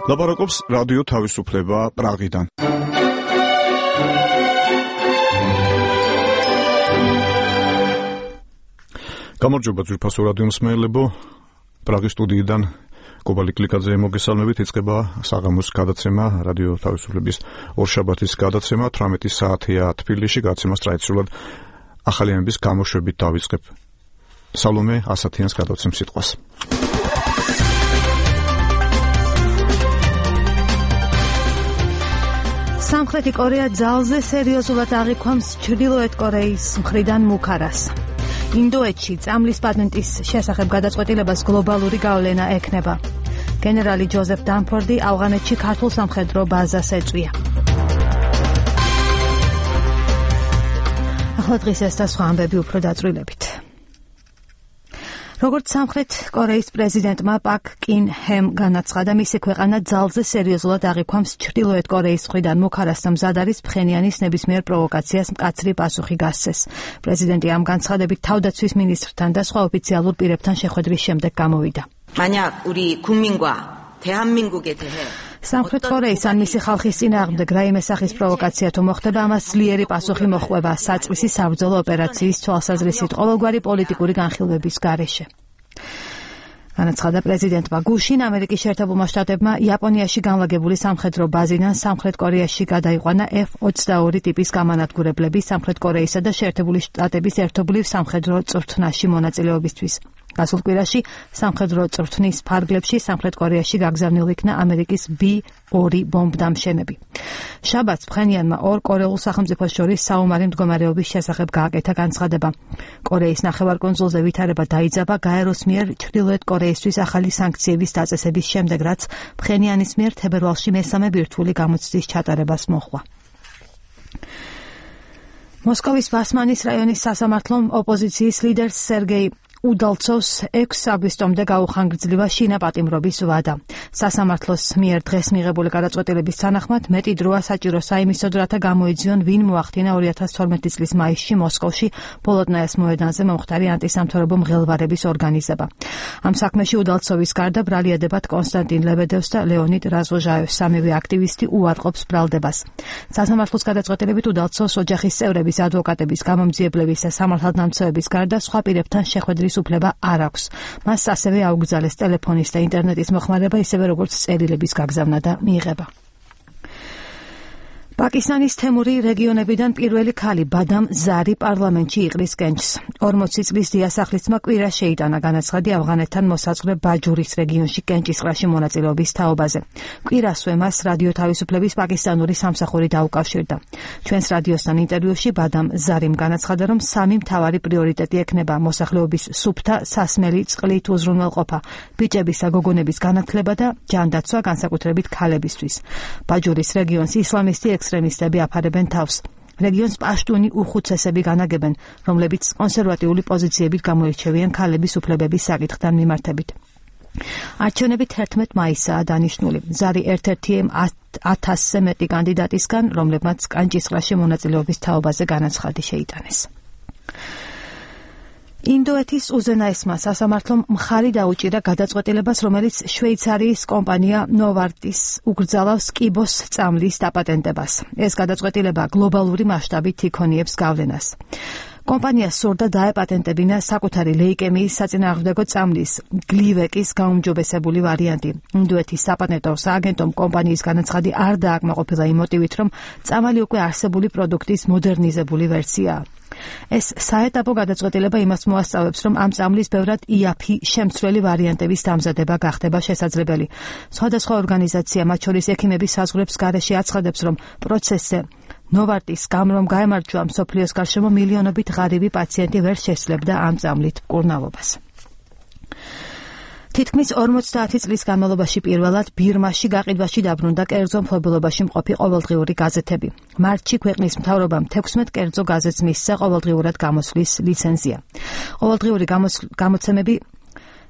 ლაპარაკობს რადიო თავისუფლება პრაღიდან. გამარჯობა ძვირფასო რადიო მსმენელებო, პრაღის სტუდიიდან კობალი კლიკაძე მოგესალმებით. იწყება საღამოს გადაცემა, რადიო თავისუფლების ორშაბათის გადაცემა. 18 საათია თბილისში, გადაცემას ტრადიციულად ახალიანების გამოშვებით დავიწყებ. სალომე ასათიანს გადავცემ სიტყვას. სამხრეთი კორეა ძალზე სერიოზულად აღიქვამს ჩრდილოეთ კორეის მხრიდან მუქარას. ინდოეთში წამლის პატენტის შესახებ გადაწყვეტილებას გლობალური გავლენა ექნება. გენერალი ჯოზეფ დანფორდი ავღანეთში ქართულ სამხედრო ბაზას ეწვია. ახლა დღის ეს და სხვა ამბები უფრო დაწვრილებით. როგორც სამხრეთ კორეის პრეზიდენტმა პაკ კინ ჰემ განაცხადა, მისი ქვეყანა ძალზე სერიოზულად აღიქვამს ჩრდილოეთ კორეის მხრიდან მუქარას და მზად არის ფხენიანის ნებისმიერ პროვოკაციას მკაცრი პასუხი გასცეს. პრეზიდენტი ამ განცხადებით თავდაცვის მინისტრთან და სხვა ოფიციალურ პირებთან შეხვედრის შემდეგ გამოვიდა. სამხრეთ კორეის ან მისი ხალხის წინააღმდეგ რაიმე სახის პროვოკაცია თუ მოხდება, ამას ძლიერი პასუხი მოჰყვება საწყვისი საბრძოლო ოპერაციის თვალსაზრისით ყოველგვარი პოლიტიკური განხილვების გარეშე. განაცხადა პრეზიდენტმა. გუშინ ამერიკის შეერთებულმა შტატებმა იაპონიაში განლაგებული სამხედრო ბაზიდან სამხრეთ კორეაში გადაიყვანა F-22 ტიპის გამანადგურებლები სამხრეთ კორეისა და შეერთებული შტატების ერთობლივ სამხედრო წვრთნაში მონაწილეობისთვის. გასულ კვირაში სამხედრო წვრთნის ფარგლებში სამხრეთ კორეაში გაგზავნილ იქნა ამერიკის B-2 ბომბდამშენები. შაბათს ფხენიანმა ორ კორეულ სახელმწიფოს შორის საომარი მდგომარეობის შესახებ გააკეთა განცხადება. კორეის ნახევარკუნძულზე ვითარება დაიძაბა გაეროს მიერ ჩრდილოეთ კორეისთვის ახალი სანქციების დაწესების შემდეგ, რაც ფხენიანის მიერ თებერვალში მესამე ბირთვული გამოცდის ჩატარებას მოჰყვა. მოსკოვის ბასმანის რაიონის სასამართლომ ოპოზიციის ლიდერს სერგეი უდალცოვს 6 აგვისტომდე გაუხანგრძლივა შინაპატიმრობის ვადა. სასამართლოს მიერ დღეს მიღებული გადაწყვეტილების თანახმად მეტი დროა საჭირო საიმისოდ, რათა გამოიძიონ ვინ მოახდინა 2012 წლის მაისში მოსკოვში ბოლოტნაიას მოედანზე მომხდარი ანტისამთავრობო მღელვარების ორგანიზება. ამ საქმეში უდალცოვის გარდა ბრალიადებად კონსტანტინ ლებედევს და ლეონიდ რაზვოჟაევს, სამივე აქტივისტი უარყოფს ბრალდებას. სასამართლოს გადაწყვეტილებით უდალცოვს ოჯახის წევრების, ადვოკატების, გამომძიებლების და სამართალდამცავების გარდა სხვა პირებთან შეხვედრის უფლება არ აქვს. მას ასევე აუგზავნეს ტელეფონის და ინტერნეტის მოხმარება, ისევე როგორც წერილების გაგზავნა და მიღება. პაკისტანის თემური რეგიონებიდან პირველი ქალი ბადამ ზარი პარლამენტში იყრის კენჭს. 40 წლის დიასახლისმა კვირა შეიტანა განაცხადი ავღანეთთან მოსაწყლე ბაჯურის რეგიონში კენჭისყრაში მონაწილეობის თაობაზე. კვირასვე მას რადიო თავისუფლების პაკისტანური სამსახური დაუკავშირდა. ჩვენს რადიოსთან ინტერვიუში ბადამ ზარიმ განაცხადა, რომ სამი მთავარი პრიორიტეტი ექნება მოსახლეობის სუფთა, სასმელი, წყლით უზრუნველყოფა, ბიჭების და გოგონების განათლება და ჯანდაცვა, განსაკუთრებით ქალებისთვის. ბაჯურის რეგიონს ისლამისტი ექსტრემისტები აფარებენ თავს. რეგიონს პაშტუნი უხუცესები განაგებენ, რომლებიც კონსერვატიული პოზიციებით გამოირჩევიან ქალების უფლებების საკითხთან მიმართებით. არჩევნები 11 მაისაა დანიშნული. ზარი ერთ-ერთი 1000-ზე მეტი კანდიდატისგან, რომლებმაც კენჭისყრაში მონაწილეობის თაობაზე განაცხადი შეიტანეს. ინდოეთის უზენაესმა სასამართლომ მხარი დაუჭირა გადაწყვეტილებას, რომელიც შვეიცარიის კომპანია ნოვარტის უგრძალავს კიბოს წამლის დაპატენტებას. ეს გადაწყვეტილება გლობალური მასშტაბით იქონიებს გავლენას. კომპანიას სურდა დაეპატენტებინა საკუთარი ლეიკემიის საწინააღმდეგო წამლის გლივეკის გაუმჯობესებული ვარიანტი. ინდოეთის საპატენტო სააგენტომ კომპანიის განაცხადი არ დააკმაყოფილა იმ მოტივით, რომ წამალი უკვე არსებული პროდუქტის მოდერნიზებული ვერსიაა. ეს საეტაპო გადაწყვეტილება იმას მოასწავებს, რომ ამ წამლის ბევრად იაფი შემცვლელი ვარიანტების დამზადება გახდება შესაძლებელი. სხვადასხვა ორგანიზაცია, მათ შორის ექიმების საზღვრებს გარეშე აცხადებს, რომ პროცესზე ნოვარტის გამრომ გაემარჯვა მსოფლიოს გარშემო მილიონობით ღარიბი პაციენტი ვერ შესძლებდა ამ წამლით მკურნალობას. თითქმის 50 წლის განმავლობაში პირველად ბირმაში გაყიდვაში დაბრუნდა კერძო მფლობელობაში მყოფი ყოველდღიური გაზეთები. მარტში ქვეყნის მთავრობამ 16 კერძო გაზეთს მისცა ყოველდღიურად გამოსვლის ლიცენზია. ყოველდღიური გამოცემები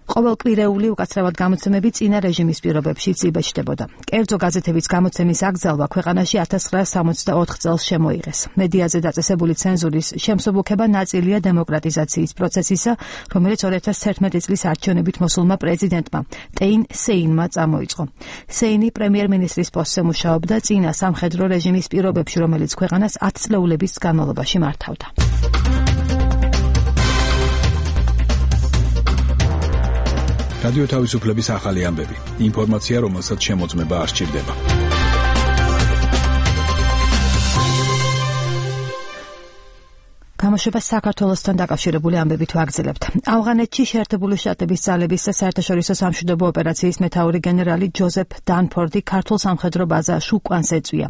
ყოველკვირეული უკაცრავად გამოცემები წინა რეჟიმის პირობებშიც იბეჭდებოდა. კერძო გაზეთების გამოცემის აკრძალვა ქვეყანაში 1964 წელს შემოიღეს. მედიაზე დაწესებული ცენზურის შემსუბუქება ნაწილია დემოკრატიზაციის პროცესისა, რომელიც 2011 წლის არჩევნებით მოსულმა პრეზიდენტმა ტეინ სეინმა წამოიწყო. სეინი პრემიერ-მინისტრის პოსტზე მუშაობდა წინა სამხედრო რეჟიმის პირობებში, რომელიც ქვეყანას 10 წლეულების განმავლობაში მართავდა. რადიო თავისუფლების ახალი ამბები. ინფორმაცია, რომელსაც შემოწმება არ სჭირდება. გამოშვება საქართველოსთან დაკავშირებული ამბებით ვაგრძელებთ. ავღანეთში შეერთებული შტატების ძალების საერთაშორისო სამშვიდობო ოპერაციის მეთაური გენერალი ჯოზეფ დანფორდი ქართულ სამხედრო ბაზას უკანს ეწვია.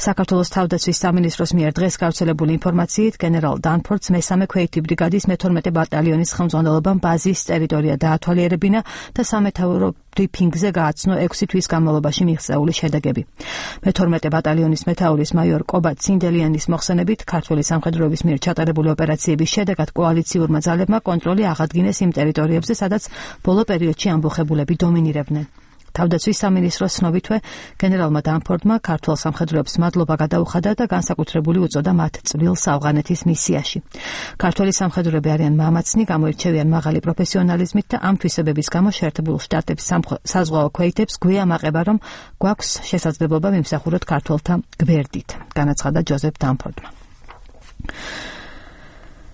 საქართველოს თავდაცვის სამინისტროს მიერ დღეს გავრცელებული ინფორმაციით გენერალ დანფორდს მესამე ქვეითი ბრიგადის მე-12 ბატალიონის ხელმძღვანელობამ ბაზის ტერიტორია დაათვალიერებინა და სამეთაურო ბრიფინგზე გააცნო 6 თვის განმავლობაში მიღწეული შედეგები. მე-12 ბატალიონის მეთაურის მაიორ კობა ცინდელიანის მოხსენებით ქართული სამხედროების მიერ ჩატარებული ოპერაციების შედეგად კოალიციურმა ძალებმა კონტროლი აღადგინეს იმ ტერიტორიებზე, სადაც ბოლო პერიოდში ამბოხებულები დომინირებდნენ. თავდაცვის სამინისტროს ცნობითვე გენერალმა დანფორდმა ქართულ სამხედროებს მადლობა გადაუხადა და განსაკუთრებული უწოდა მათ წვრილს ავღანეთის მისიაში. ქართული სამხედროები არიან მამაცნი, გამოირჩევიან მაღალი პროფესიონალიზმით და ამ თვისებების გამო შეერთებულ შტატების საზღვაო ქვეითებს გვიან აყება, რომ გვაქვს შესაძლებლობა ვიმსახუროთ ქართველთა გვერდით, განაცხადა ჯოზეფ დანფორდმა.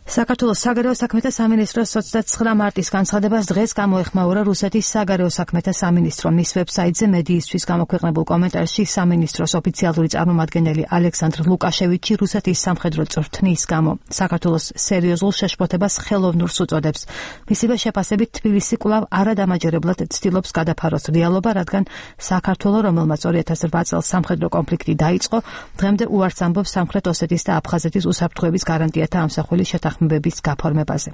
საქართველოს საგარეო საქმეთა სამინისტროს 29 მარტის განცხადებას დღეს გამოეხმაურა რუსეთის საგარეო საქმეთა სამინისტრო. მის ვებსაიტზე მედიისთვის გამოქვეყნებულ კომენტარში სამინისტროს ოფიციალური წარმომადგენელი ალექსანდრ ლუკაშევიჩი რუსეთის სამხედრო წვრთნის გამო საქართველოს სერიოზულ შეშფოთებას ხელოვნურს უწოდებს. მისივე შეფასებით თბილისი კვლავ არადამაჯერებლად ცდილობს გადაფაროს რეალობა, რადგან საქართველო, რომელმაც 2008 წელს სამხედრო კონფლიქტი დაიწყო, დღემდე უარს ამბობს სამხრეთ ოსეთის და აფხაზეთის უსაფრთხოების გარანტიათა ამსახველი შეთანხმებების გაფორმებაზე.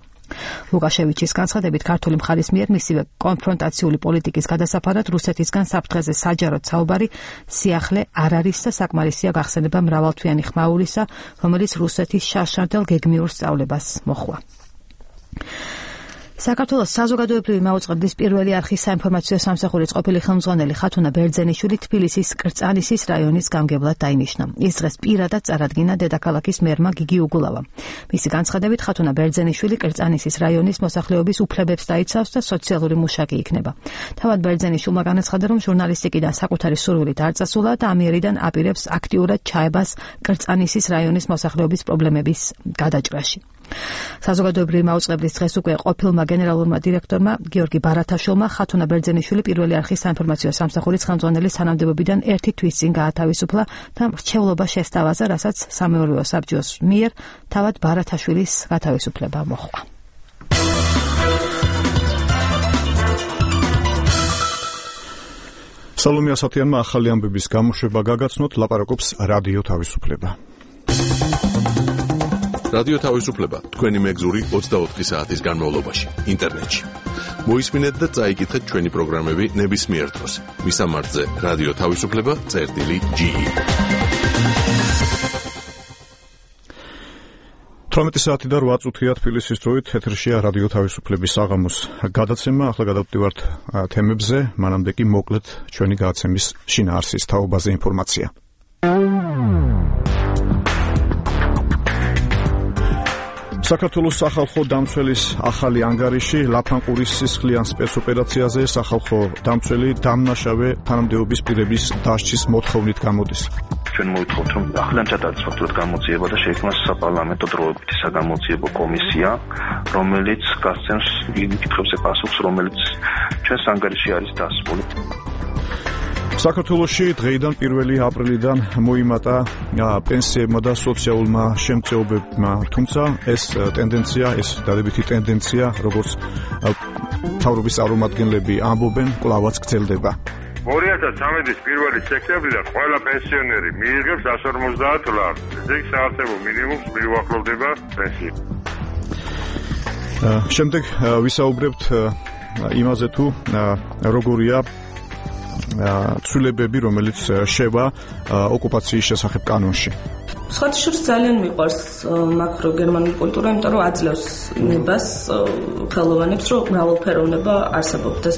ლუკაშევიჩის განცხადებით ქართული მხარის მიერ მისივე კონფრონტაციული პოლიტიკის გადასაფარად რუსეთისგან საფრთხეზე საჯაროდ საუბარი სიახლე არ არის და საკმარისია გახსენება მრავალთვიანი ხმაურისა, რომელიც რუსეთის შარშარდელ გეგმიურ სწავლებას მოჰყვა. საქართველოს საზოგადოებრივი მაუწყებლის პირველი არხის საინფორმაციო სამსახურის ყოფილი ხელმძღვანელი ხათუნა ბერძენიშვილი თბილისის კრწანისის რაიონის გამგებლად დაინიშნა. ის დღეს პირადად წარადგინა დედაქალაქის მერმა გიგი უგულავამ. მისი განცხადებით ხათუნა ბერძენიშვილი კრწანისის რაიონის მოსახლეობის უფლებებს დაიცავს და სოციალური მუშაკი იქნება. თავად ბერძენიშვილმა განაცხადა, რომ ჟურნალისტიკიდან საკუთარი სურვილით არ წასულა და ამიერიდან აპირებს აქტიურად ჩაებას კრწანისის რაიონის მოსახლეობის პრობლემების გადაჭრაში. საზოგადოებრივი მაუწყებლის დღეს უკვე ყოფილმა გენერალურმა დირექტორმა გიორგი ბარათაშვილმა ხათუნა ბერძენიშვილი პირველი არხის საინფორმაციო სამსახურის ხელმძღვანელის თანამდებობიდან 1 თვის წინ გაათავისუფლა და მრჩევლობა შესთავაზა, რასაც სამეურვეო საბჭოს მიერ თავად ბარათაშვილის გათავისუფლება მოჰყვა. სალომე ასათიანმა ახალი ამბების გამოშვება გაგაცნოთ, ლაპარაკობს რადიო თავისუფლება. რადიო თავისუფლება თქვენი მეგზური 24 საათის განმავლობაში ინტერნეტში. მოისმინეთ და წაიკითხეთ ჩვენი პროგრამები ნებისმიერ დროს. მისამართზე რადიო თავისუფლება.ge 18 საათი და 8 წუთია თბილისის დროით ეთერშია რადიო თავისუფლების საღამოს გადაცემა. ახლა გადავდივართ თემებზე, მანამდე კი მოკლედ ჩვენი გადაცემის შინაარსის თაობაზე ინფორმაცია. საქართველოს სახალხო დამცველის ახალი ანგარიში ლაფანყურის სისხლიან სპეცოპერაციაზე სახალხო დამცველი დამნაშავე თანამდებობის პირების დასჯის მოთხოვნით გამოდის. ჩვენ მოითხოვთ, რომ ახლიდან ჩატარდეს ფაქტურად გამოძიება და შეიქმნას საპარლამენტო დროებითი საგამოძიებო კომისია, რომელიც გასცემს იმ კითხვებზე პასუხს, რომელიც ჩვენს ანგარიშში არის დასმული. საქართველოში დღეიდან 1 აპრილიდან მოიმატა პენსიებმა და სოციალურმა შემწეობებმა, თუმცა ეს დადებითი ტენდენცია, როგორც მთავრობის წარმომადგენლები ამბობენ, კვლავაც გრძელდება. 2013 1 სექტემბრიდან ყველა პენსიონერი მიიღებს 150 ლარს. ზეг საარსებო მინიმუმს მიუახლოვდება პენსია. შემდეგ ვისაუბრებთ იმაზე თუ როგორია ცვლილებები, რომელიც შევა ოკუპაციის შესახებ კანონში. სხვათა შორის ძალიან მიყვარს მაკრო-გერმანული კულტურა, იმიტომ რომ აძლევს ნებას ხელოვანებს, რომ მრავალფეროვნება არსებობდეს.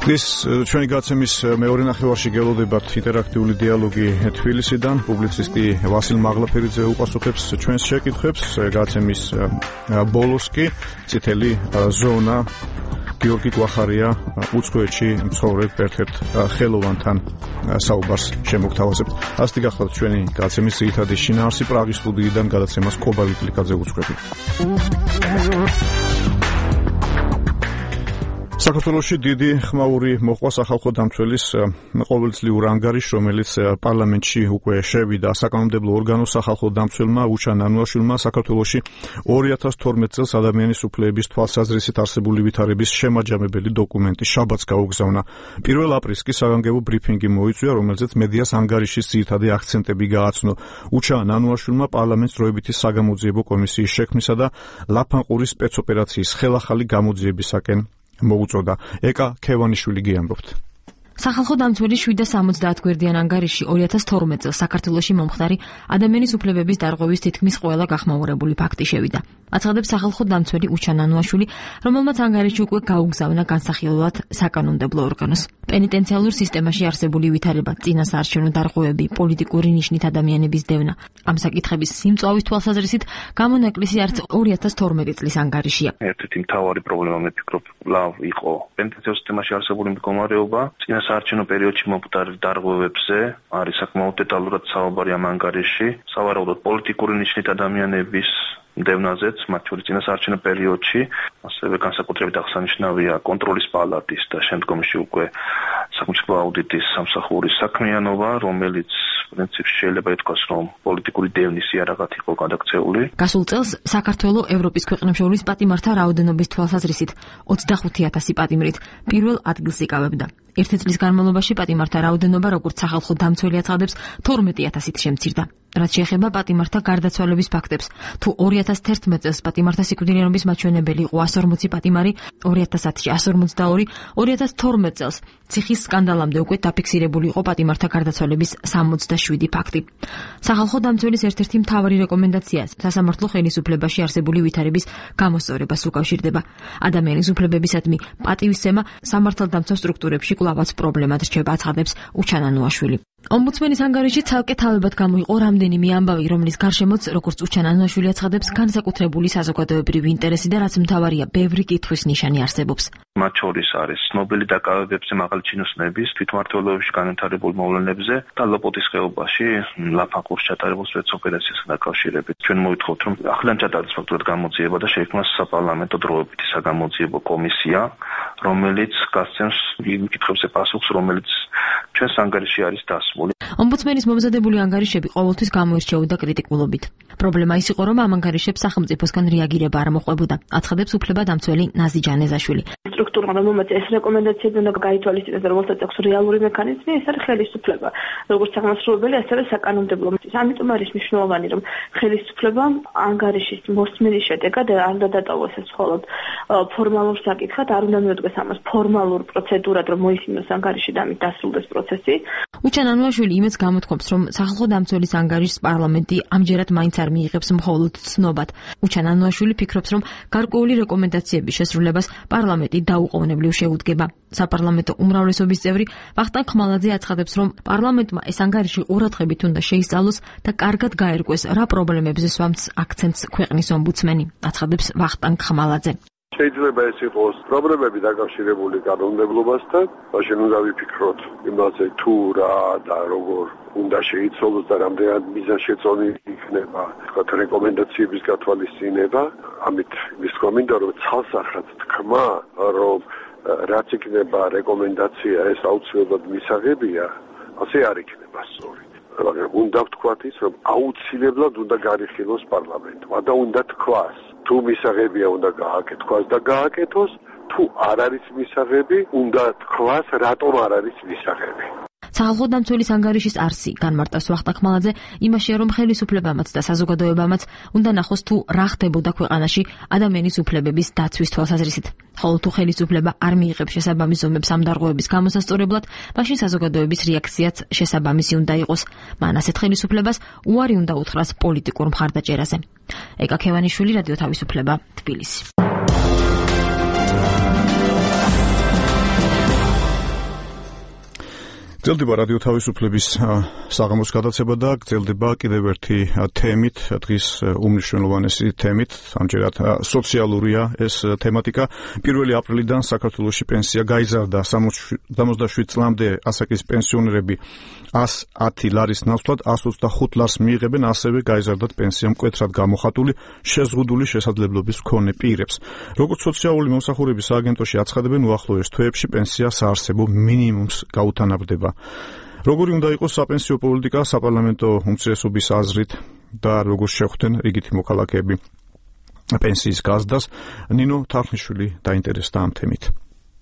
ეს ჩვენი გაცემის მეორე ნახევარში გელოდებათ ინტერაქტიული დიალოგი თბილისიდან. პუბლიცისტი ვასილ მაღლაფერიძე უპასუხებს ჩვენს შეკითხვებს. გაცემის ბოლოს კი წითელი ზონა გიორგი კვახარია უცხოეთში მცხოვრებ ერთ-ერთ ხელოვანთან საუბარს შემოგთავაზებთ. ასეთი გახლავთ ჩვენი გაცემის ძირითადი შინაარსი. პრაღის სტუდიიდან გადაცემას კობალი კლიკაძე უძღვები. საქართველოში დიდი ხმაური მოყვა სახალხო დამცველის ყოველწლიურ ანგარიშს, რომელიც პარლამენტში უკვე შევიდა. საკანონმდებლო ორგანოს სახალხო დამცველმა უჩან ანუაშვილმა საქართველოში 2012 წელს ადამიანის უფლებების თვალსაზრისით არსებული ვითარების შემაჯამებელი დოკუმენტი შაბათს გაუგზავნა. 1 აპრილს კი საგანგებო ბრიფინგი მოიწვია, რომელზეც მედიას ანგარიშის ძირითადი აქცენტები გააცნო. უჩან ანუაშვილმა პარლამენტს დროებითი საგამოძიებო კომისიის შექმნისა და ლაფანყურის სპეცოპერაციის ხელახალი გამოძიებისაკენ მოუწოდა. ეკა ქევანიშვილი გიამბობთ. სახალხო დამცველის 770 გვერდიან ანგარიში 2012 წელს საქართველოში მომხდარი ადამიანის უფლებების დარღვევის თითქმის ყველა გახმაურებული ფაქტი შევიდა. აცხადებს სახალხო დამცველი უჩან ანუაშვილი, რომელმაც ანგარიში უკვე გაუგზავნა განსახილველად საკანონმდებლო ორგანოს. პენიტენციალურ სისტემაში არსებული ვითარება, წინასაარჩევნო დარღვევები, პოლიტიკური ნიშნით ადამიანების დევნა. ამ საკითხების სიმწვავის თვალსაზრისით გამონაკლისი არც 2012 წლის ანგარიშია. ერთ-ერთი მთავარი პრობლემა მე ვფიქრობ, ლავ იყო პენიტენციალურ სისტემაში არსებული მდგომარეობა, წინასაარჩევნო პერიოდში მომხდარ დარღვევებზე არის საკმაოდ დეტალურად საუბარი ამ ანგარიში, სავარაუდოდ პოლიტიკური ნიშნით ადამიანების დევნაზეც, მათ შორის წინასაარჩევნო პერიოდში, ასევე განსაკუთრებით აღსანიშნავია კონტროლის პალატის და შემდგომში უკვე სახელმწიფო აუდიტის სამსახურის საქმიანობა, რომელიც პრინციპში შეიძლება ითქვას, რომ პოლიტიკური დევნის იარაღად იყო გადაქცეული. გასულ წელს საქართველო ევროპის ქვეყნებს შორის პატიმართა რაოდენობის თვალსაზრისით 25,000 პატიმრით პირველ ადგილს იკავებდა. ერთი წლის განმავლობაში პატიმართა რაოდენობა, როგორც სახალხო დამცველი აცხადებს, 12,000-ით შემცირდა. რაც შეეხება პატიმართა გარდაცვალების ფაქტებს, თუ 2011 წელს პატიმართა სიკვდილიანობის მაჩვენებელი იყო 140 პატიმარი, 2010-ში 142, 2012 წელს ციხის სკანდალამდე უკვე დაფიქსირებული იყო პატიმართა გარდაცვალების 67 ფაქტი. სახალხო დამცველის ერთ-ერთი მთავარი რეკომენდაცია სასამართლო ხელისუფლებაში არსებული ვითარების გამოსწორებას უკავშირდება. ადამიანის უფლებებისადმი პატივისცემა სამართალდამცავ სტრუქტურებში კვლავაც პრობლემად რჩება, აცხადებს უჩან ანუაშვილი. ომბუდსმენის ანგარიში ცალკე თავებად გამოიყო რამდენიმე ამბავი, რომლის გარშემოც, როგორც უჩან ანუაშვილი აცხადებს, განსაკუთრებული საზოგადოებრივი ინტერესი და რაც მთავარია, ბევრი კითხვის ნიშანი არსებობს. მათ შორის არის ცნობილი დაკავებებზე მაღალი ჩინოსნების, თვითმმართველობებში განვითარებულ მოვლენებზე და ლოპოტის ხეობაში ლაფანყურს ჩატარებულ სპეცოპერაციასთან დაკავშირებით. ჩვენ მოვითხოვთ, რომ ახლიდან ჩატარდეს ფაქტურად გამოძიება და შეიქმნას საპარლამენტო დროებითი საგამოძიებო კომისია, რომელიც გასცემს იმ კითხვებზე პასუხს, რომელიც ჩვენს ანგარიში არის დასმული. ომბუდსმენის მომზადებული ანგარიშები ყოველთვის გამოირჩეოდა კრიტიკულობით. პრობლემა ის იყო, რომ ამ ანგარიშებს სახელმწიფოსგან რეაგირება არ მოყვებოდა, აცხადებს უფლებადამცველი ნაზი ჯანეზაშვილი. სტრუქტურა, რომელმაც ეს რეკომენდაციები უნდა გაითვალისწინოს და რომელსაც აქვს რეალური მექანიზმი, ეს არის ხელისუფლება, როგორც აღმასრულებელი, ასევე საკანონმდებლო. ამიტომ არის მნიშვნელოვანი, რომ ხელისუფლებამ ანგარიშის მოსმენის შედეგად არ უნდა დატოვოს ეს მხოლოდ ფორმალურ საკითხად, არ უნდა მიუდგეს ამას ფორმალურ პროცედურად, რომ მოისმინოს ანგარიში და ამით დასრულდეს პროცესი. უჩან ანუაშვილი იმეც გამოთქვამს, რომ სახალხო დამცველის ანგარიშს პარლამენტი ამჯერად მაინც არ მიიღებს მხოლოდ ცნობად. უჩან ანუაშვილი ფიქრობს, რომ გარკვეული რეკომენდაციების შესრულებას პარლამენტი დაუყოვნებლივ შეუდგება. საპარლამენტო უმრავლესობის წევრი ვახტანგ ხმალაძე აცხადებს, რომ პარლამენტმა ეს ანგარიში ყურადღებით უნდა შეისწავლოს და კარგად გაერკვეს, რა პრობლემებზე სვამს აქცენტს ქვეყნის ომბუდსმენი, აცხადებს ვახტანგ ხმალაძე. შეიძლება ეს იყოს პრობლემები დაკავშირებული კანონმდებლობასთან, მაშინ უნდა ვიფიქროთ იმაზე თუ რა და როგორ უნდა შეიცვალოს და რამდენად მიზანშეწონილი იქნება თქვათ რეკომენდაციების გათვალისწინება. ამით ვისკო მინდა რომ ცალსახად თქვა, რომ რაც იქნება რეკომენდაცია ეს აუცილებლად მისაღებია, ასე არ იქნება სწორი. უნდა ვთქვათ ის, რომ აუცილებლად უნდა გარიხილოს პარლამენტმა და უნდა თქვას, თუ მისაღებია უნდა გააკეთოს და გააკეთოს, თუ არ არის მისაღები, უნდა თქვას, რატომ არ არის მისაღები. სახალხო დამცველის ანგარიშის არსი განმარტავს ვახტანგ ხმალაძე იმაშია, რომ ხელისუფლებამაც და საზოგადოებამაც უნდა ნახოს თუ რა ხდებოდა ქვეყანაში ადამიანის უფლებების დაცვის თვალსაზრისით. ხოლო თუ ხელისუფლება არ მიიღებს შესაბამის ზომებს ამ დარღვევების გამოსასწორებლად, მაშინ საზოგადოების რეაქციაც შესაბამისი უნდა იყოს. მან ასეთ ხელისუფლებას უარი უნდა უთხრას პოლიტიკურ მხარდაჭერაზე. ეკა ქევანიშვილი, რადიო თავისუფლება, თბილისი. გრძელდება რადიო თავისუფლების საღამოს გადაცემა და გრძელდება კიდევ ერთი თემით, დღის უმნიშვნელოვანესი თემით, ამჯერად სოციალურია ეს თემატიკა. 1 აპრილიდან საქართველოში პენსია გაიზარდა 77 წლამდე ასაკის პენსიონერები 110 ლარის ნაცვლად 125 ლარს მიიღებენ, ასევე გაიზარდათ პენსია მკვეთრად გამოხატული შეზღუდული შესაძლებლობის მქონე პირებს. როგორც სოციალური მომსახურების სააგენტოში აცხადებენ, უახლოეს თვეებში პენსია საარსებო მინიმუმს გაუთანაბრდება. როგორი უნდა იყოს საპენსიო პოლიტიკა საპარლამენტო უმცირესობის აზრით და როგორ შეხვდნენ რიგითი მოქალაქეები პენსიის გაზრდას, ნინო თარხნიშვილი დაინტერესდა ამ თემით.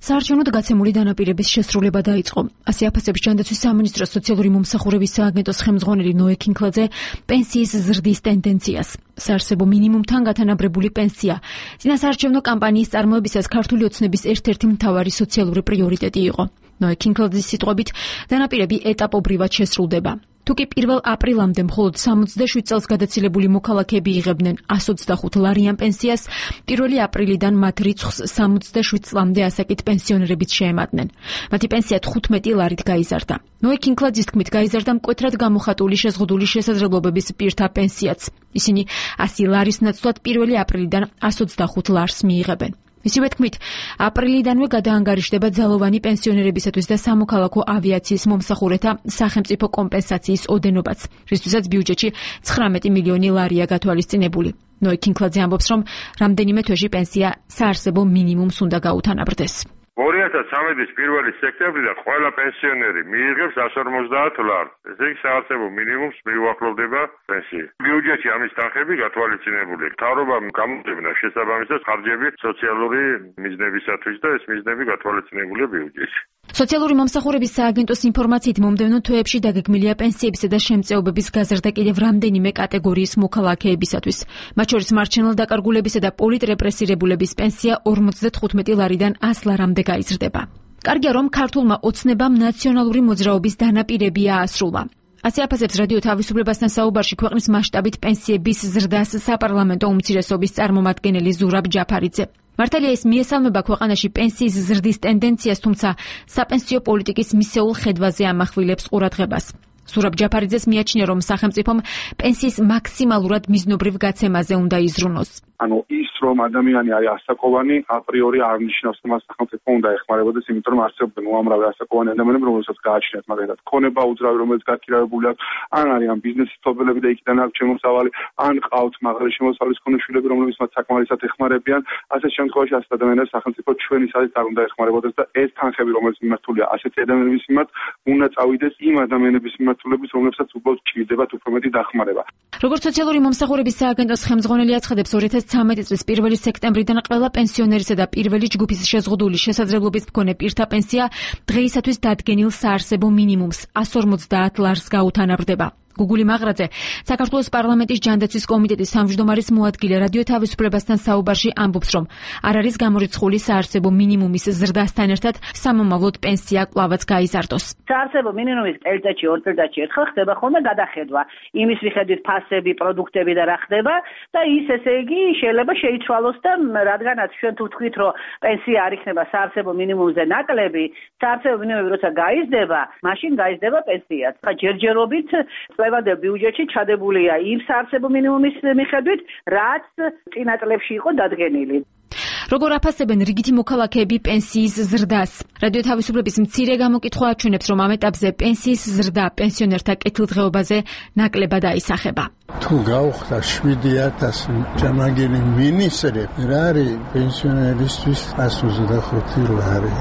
საარჩევნოდ გაცემული დანაპირების შესრულება დაიწყო. ასე აფასებს ჯანდაცვის სამინისტროს სოციალური მომსახურების სააგენტოს ხელმძღვანელი ნოე კინკლაძე პენსიის ზრდის ტენდენციას. საარსებო მინიმუმთან გათანაბრებული პენსია წინასაარჩევნო კამპანიის წარმოებისას ქართული ოცნების ერთ-ერთი მთავარი სოციალური პრიორიტეტი იყო. ნოე კინკლაძის სიტყვებით, დანაპირები ეტაპობრივად შესრულდება. თუკი 1 აპრილამდე მხოლოდ 67 წელს გადაცილებული მოქალაქეები იღებდნენ 125 ლარიან პენსიას, 1 აპრილიდან მათ რიცხვს 67 წლამდე ასაკით პენსიონერებიც შეემატნენ. მათი პენსია 15 ლარით გაიზარდა. ნოე კინკლაძის თქმით, გაიზარდა მკვეთრად გამოხატული შეზღუდული შესაძლებლობების პირთა პენსიაც. ისინი 100 ლარის ნაცვლად 1 აპრილიდან 125 ლარს მიიღებენ. მისივე თქმით, აპრილიდანვე გადაანგარიშდება ძალოვანი პენსიონერებისათვის და სამოქალაქო ავიაციის მომსახურეთა სახელმწიფო კომპენსაციის ოდენობაც, რისთვისაც ბიუჯეტში 19 მილიონი ლარია გათვალისწინებული. ნოე კინკლაძე ამბობს, რომ რამდენიმე თვეში პენსია საარსებო მინიმუმს უნდა გაუთანაბრდეს. 2013-ის 1 სექტემბრიდან ყველა პენსიონერი მიიღებს 150 ლარს. ესე იგი საარსებო მინიმუმს მიუახლოვდება პენსია. ბიუჯეტში ამის თანხები გათვალისწინებული. მთავრობამ გამოძებნა შესაბამისად ხარჯები სოციალური მიზნებისათვის და ეს მიზნები გათვალისწინებულია ბიუჯეტში. სოციალური მომსახურების სააგენტოს ინფორმაციით მომდევნო თვეებში დაგეგმილია პენსიებისა და შემწეობების გაზრდა კიდევ რამდენიმე კატეგორიის მოქალაქეებისათვის. მათ შორის მარჩენელ დაკარგულებისა და პოლიტრეპრესირებულების პენსია 55 ლარიდან 100 ლარამდე გაიზრდება. კარგია, რომ ქართულმა ოცნებამ ნაციონალური მოძრაობის დანაპირები აასრულა. ასე აფასებს რადიო თავისუფლებასთან საუბარში ქვეყნის მასშტაბით პენსიების ზრდას საპარლამენტო უმცირესობის წარმომადგენელი ზურაბ ჯაფარიძე. მართალია ის მიესალმება ქვეყანაში პენსიის ზრდის ტენდენციას, თუმცა საპენსიო პოლიტიკის მისეულ ხედვაზე ამახვილებს ყურადღებას. ზურაბ ჯაფარიძეს მიაჩნია, რომ სახელმწიფომ პენსიის მაქსიმალურად მიზნობრივ გაცემაზე უნდა იზრუნოს. ანუ ის რომ ადამიანი არის ასაკოვანი, აპრიორი არ ნიშნავს, რომ სახელმწიფო უნდა ეხმარებოდეს, იმიტომ რომ არსებობენ უამრავი ასაკოვანი ადამიანები, რომელსაც გააჩნიათ მაგალითად ქონება უძრავი, რომელიც გაქირავებული აქვს, ან არიან ბიზნესის მფლობელები და იქიდან აქვს შემოსავალი, ან ყავთ მაღალი შემოსავლის მქონე შვილები, რომლებიც მათ საკმარისად ეხმარებიან. ასეთ შემთხვევაში ასეთ ადამიანებს სახელმწიფო ჩვენი საზით არ უნდა ეხმარებოდეს და ეს თანხები, რომელიც მიმართულია ასეთი ადამიანების მიმართ, უნდა წავიდეს იმ ადამიანების მიმართულებით, რომლებსაც უბრალოდ ჭირდებათ უფრო მეტი დახმარება. როგორც სოციალური მომსახურების სააგენტოს ხელმძღვანელი აცხადებს, 2013 წლის 1 სექტემბრიდან ყველა პენსიონერისა და პირველი ჯგუფის შეზღუდული შესაძლებლობის მქონე პირთა პენსია დღეისათვის დადგენილ საარსებო მინიმუმს 150 ლარს გაუთანაბრდება. გუგული მაღრაძე, საქართველოს პარლამენტის ჯანდაცვის კომიტეტის თავმჯდომარის მოადგილე რადიო თავისუფლებასთან საუბარში ამბობს, რომ არ არის გამორიცხული საარსებო მინიმუმის ზრდასთან ერთად სამომავლოდ პენსია კვლავაც გაიზარდოს. საარსებო მინიმუმის წელიწადში 2 წელიწადში ერთხელ ხდება ხოლმე გადახედვა. იმის მიხედვით ფასები, პროდუქტები და რა ხდება და ის ესე იგი შეიძლება შეიცვალოს და რადგანაც ჩვენ თუ ვთქვით, რომ პენსია არ იქნება საარსებო მინიმუმზე ნაკლები, საარსებო მინიმუმი როცა გაიზრდება, მაშინ გაიზრდება პენსიაც. ჯერჯერობით წლევანდელ ბიუჯეტში ჩადებულია იმ საარსებო მინიმუმის მიხედვით, რაც წინა წლებში იყო დადგენილი. როგორ აფასებენ რიგითი მოქალაქეები პენსიის ზრდას? რადიო თავისუფლების მცირე გამოკითხვა აჩვენებს, რომ ამ ეტაპზე პენსიის ზრდა პენსიონერთა კეთილდღეობაზე ნაკლებად აისახება. თუ გავხდა 7000 ჯამაგირი მინისტრი, რა არის პენსიონერისთვის 125 ლარი?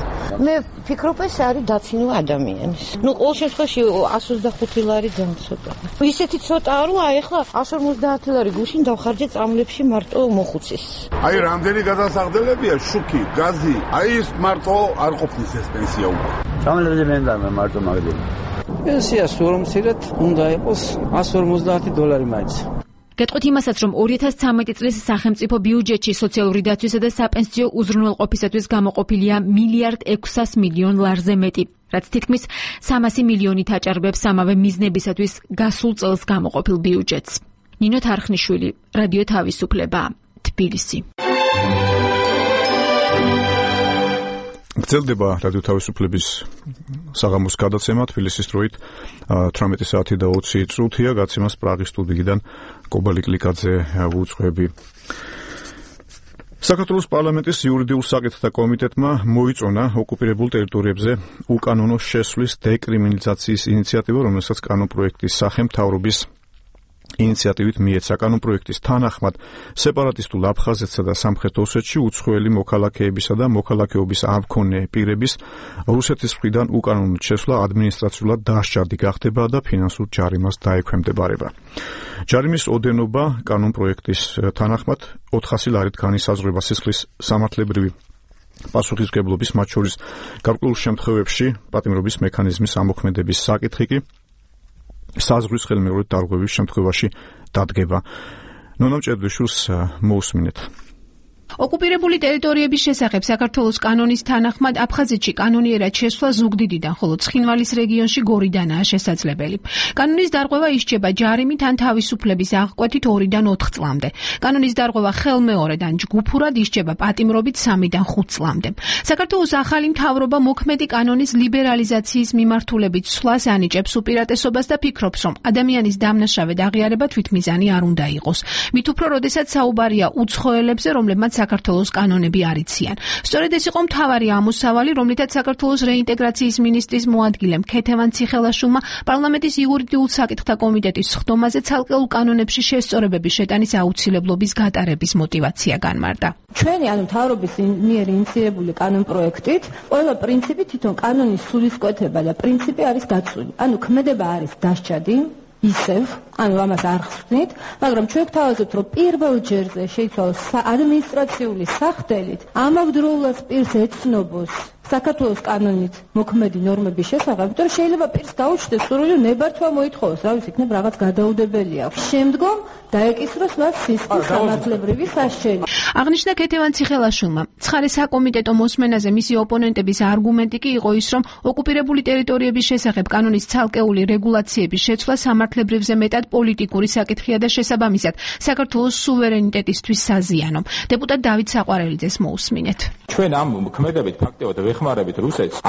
მე ვფიქრობ, ეს არის დაცინვა ადამიანის. ყოველ შემთხვევაში 125 ლარი დამცოტა. ისეთი ცოტაა, რომ აი ახლა 150 ლარი გუშინ დავხარჯე წამლებში მარტო მოხუცის. აი რამდენი გადასახდებია შუქი, გაზი. აი ის მარტო არ ყოფნის ეს პენსია უკვე. წამლებზე მე მარტო მაგდები. პენსია სულ მცირედ უნდა იყოს $150 მაინც. გეტყვით იმასაც, რომ 2013 წლის სახელმწიფო ბიუჯეტში სოციალური დაცვისა და საპენსიო უზრუნველყოფისათვის გამოყოფილია $1.6 მილიარდზე მეტი, რაც თითქმის 300 მილიონით აჭარბებს ამავე მიზნებისათვის გასულ წელს გამოყოფილ ბიუჯეტს. ნინო თარხნიშვილი, რადიო თავისუფლება, თბილისი. გრძელდება რადიო თავისუფლების საღამოს გადაცემა თბილისის დროით 18 საათი და 20 წუთია. გაცემას პრაღის სტუდიიდან კობალი კლიკაძე ვუძღვები. საქართველოს პარლამენტის იურიდიულ საკითხთა კომიტეტმა მოიწონა ოკუპირებულ ტერიტორიებზე უკანონო შესვლის დეკრიმინალიზაციის ინიციატივა, რომელსაც კანონპროექტის სახე მთავრობის ინიციატივით მიეცა. კანონპროექტის თანახმად სეპარატისტულ აფხაზეთსა და სამხრეთ ოსეთში უცხოელი მოქალაქეებისა და მოქალაქეობის არ მქონე პირების რუსეთის მხრიდან უკანონო შესვლა ადმინისტრაციულად დასჯადი გახდება და ფინანსურ ჯარიმას დაექვემდებარება. ჯარიმის ოდენობა კანონპროექტის თანახმად 400 ლარით განისაზღვრება სისხლის სამართლებრივი პასუხისმგებლობის, მათ შორის გარკვეულ შემთხვევებში პატიმრობის მექანიზმის ამოქმედების საკითხი კი საზღვრის ხელმეორედ დარღვევის შემთხვევაში დადგება. ნონა მჭედვიშვილს მოусმინეთ. ოკუპირებული ტერიტორიების შესახებ საქართველოს კანონის თანახმად აფხაზეთში კანონიერად შესვლა ზუგდიდიდან, ხოლო ცხინვალის რეგიონში გორიდანაა შესაძლებელი. კანონის დარღვევა ისჯება ჯარიმით ან თავისუფლების აღკვეთით 2-დან 4 წლამდე. კანონის დარღვევა ხელმეორედ ან ჯგუფურად ისჯება პატიმრობით 3-დან 5 წლამდე. საქართველოს ახალი მთავრობა მოქმედი კანონის ლიბერალიზაციის მიმართულებით ცვლას ანიჭებს უპირატესობას და ფიქრობს, რომ ადამიანის დამნაშავედ აღიარება თვითმიზანი არ უნდა იყოს. მით უფრო, როდესაც საუბარია უცხოელებზე, რომლებმაც საქართველოს კანონები არ იციან. სწორედ ეს იყო მთავარი ამოსავალი, რომლითაც საქართველოს რეინტეგრაციის მინისტრის მოადგილემ ქეთევან ციხელაშვილმა პარლამენტის იურიდიულ საკითხთა კომიტეტის სხდომაზე ცალკეულ კანონებში შესწორებების შეტანის აუცილებლობის გატარების мотиваცია განმარტა. ჩვენი მთავრობის მიერ ინიციირებული კანონპროექტით ყველა პრინციპი თვითონ კანონის სულისკვეთება და პრინციპი არის დაცული. ქმედება არის დასჯადი ისევ, ამას არ ხსნით, მაგრამ ჩვენ გვთავაზობთ, რომ პირველ ჯერზე შეიცვალოს ადმინისტრაციული სახდელით ამავდროულად პირს ეცნობს საქართველოს კანონით მოქმედი ნორმების შესახებ, იმიტომ რომ შეიძლება პირს გაუჩნდეს სურვილი ნებართვა მოითხოვოს, რა ვიცი, იქნებ რაღაც გადაუდებელი აქვს. შემდგომ დაეკისროს მას სისხლის სამართლებრივი სასჯელი. აღნიშნა ქეთევან ციხელაშვილმა. ცხარე საკომიტეტო მოსმენაზე მისი ოპონენტების არგუმენტი კი იყო ის, რომ ოკუპირებული ტერიტორიების შესახებ კანონის ცალკეული რეგულაციების შეცვლა სამართლებრივზე მეტად პოლიტიკური საკითხია და შესაბამისად საქართველოს სუვერენიტეტისთვის საზიანო. დეპუტატ დავით საყვარელიძეს მოусმინეთ. ჩვენ ამ ქმედებით ფაქტობრივად ვეხმარებით რუსეთს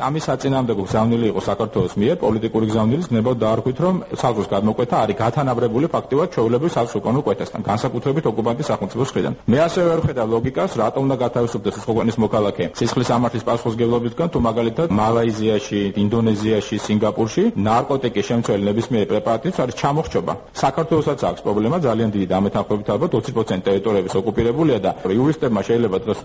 ამის საწინააღმდეგო გზავნილი იყო საქართველოს მიერ პოლიტიკური გზავნილის ნებოდ დაარქვით, რომ საზღვრის გადმოკვეთა არის გათანაბრებული ფაქტობრივად ჩვეულებრივ საზღვრის უკანონო კვეთასთან, განსაკუთრებით ოკუპანტის სახელმწიფოს მხრიდან. მე ასევე ვერ ხედავ ლოგიკას, რატომ უნდა გათავისუფლდეს ეს ქვეყნის მოქალაქე სისხლის სამართლის პასუხისმგებლობისგან, თუ მაგალითად მალაიზიაში, ინდონეზიაში, სინგაპურში ნარკოტიკის შემცველი ნებისმიერი პრეპარატის არის ჩამოხრჩობა. საქართველოსაც აქვს პრობლემა ძალიან დიდი და ამეთანხმებით ალბათ 20% ტერიტორიების ოკუპირებულია და იურისტებმა შეიძლება დღეს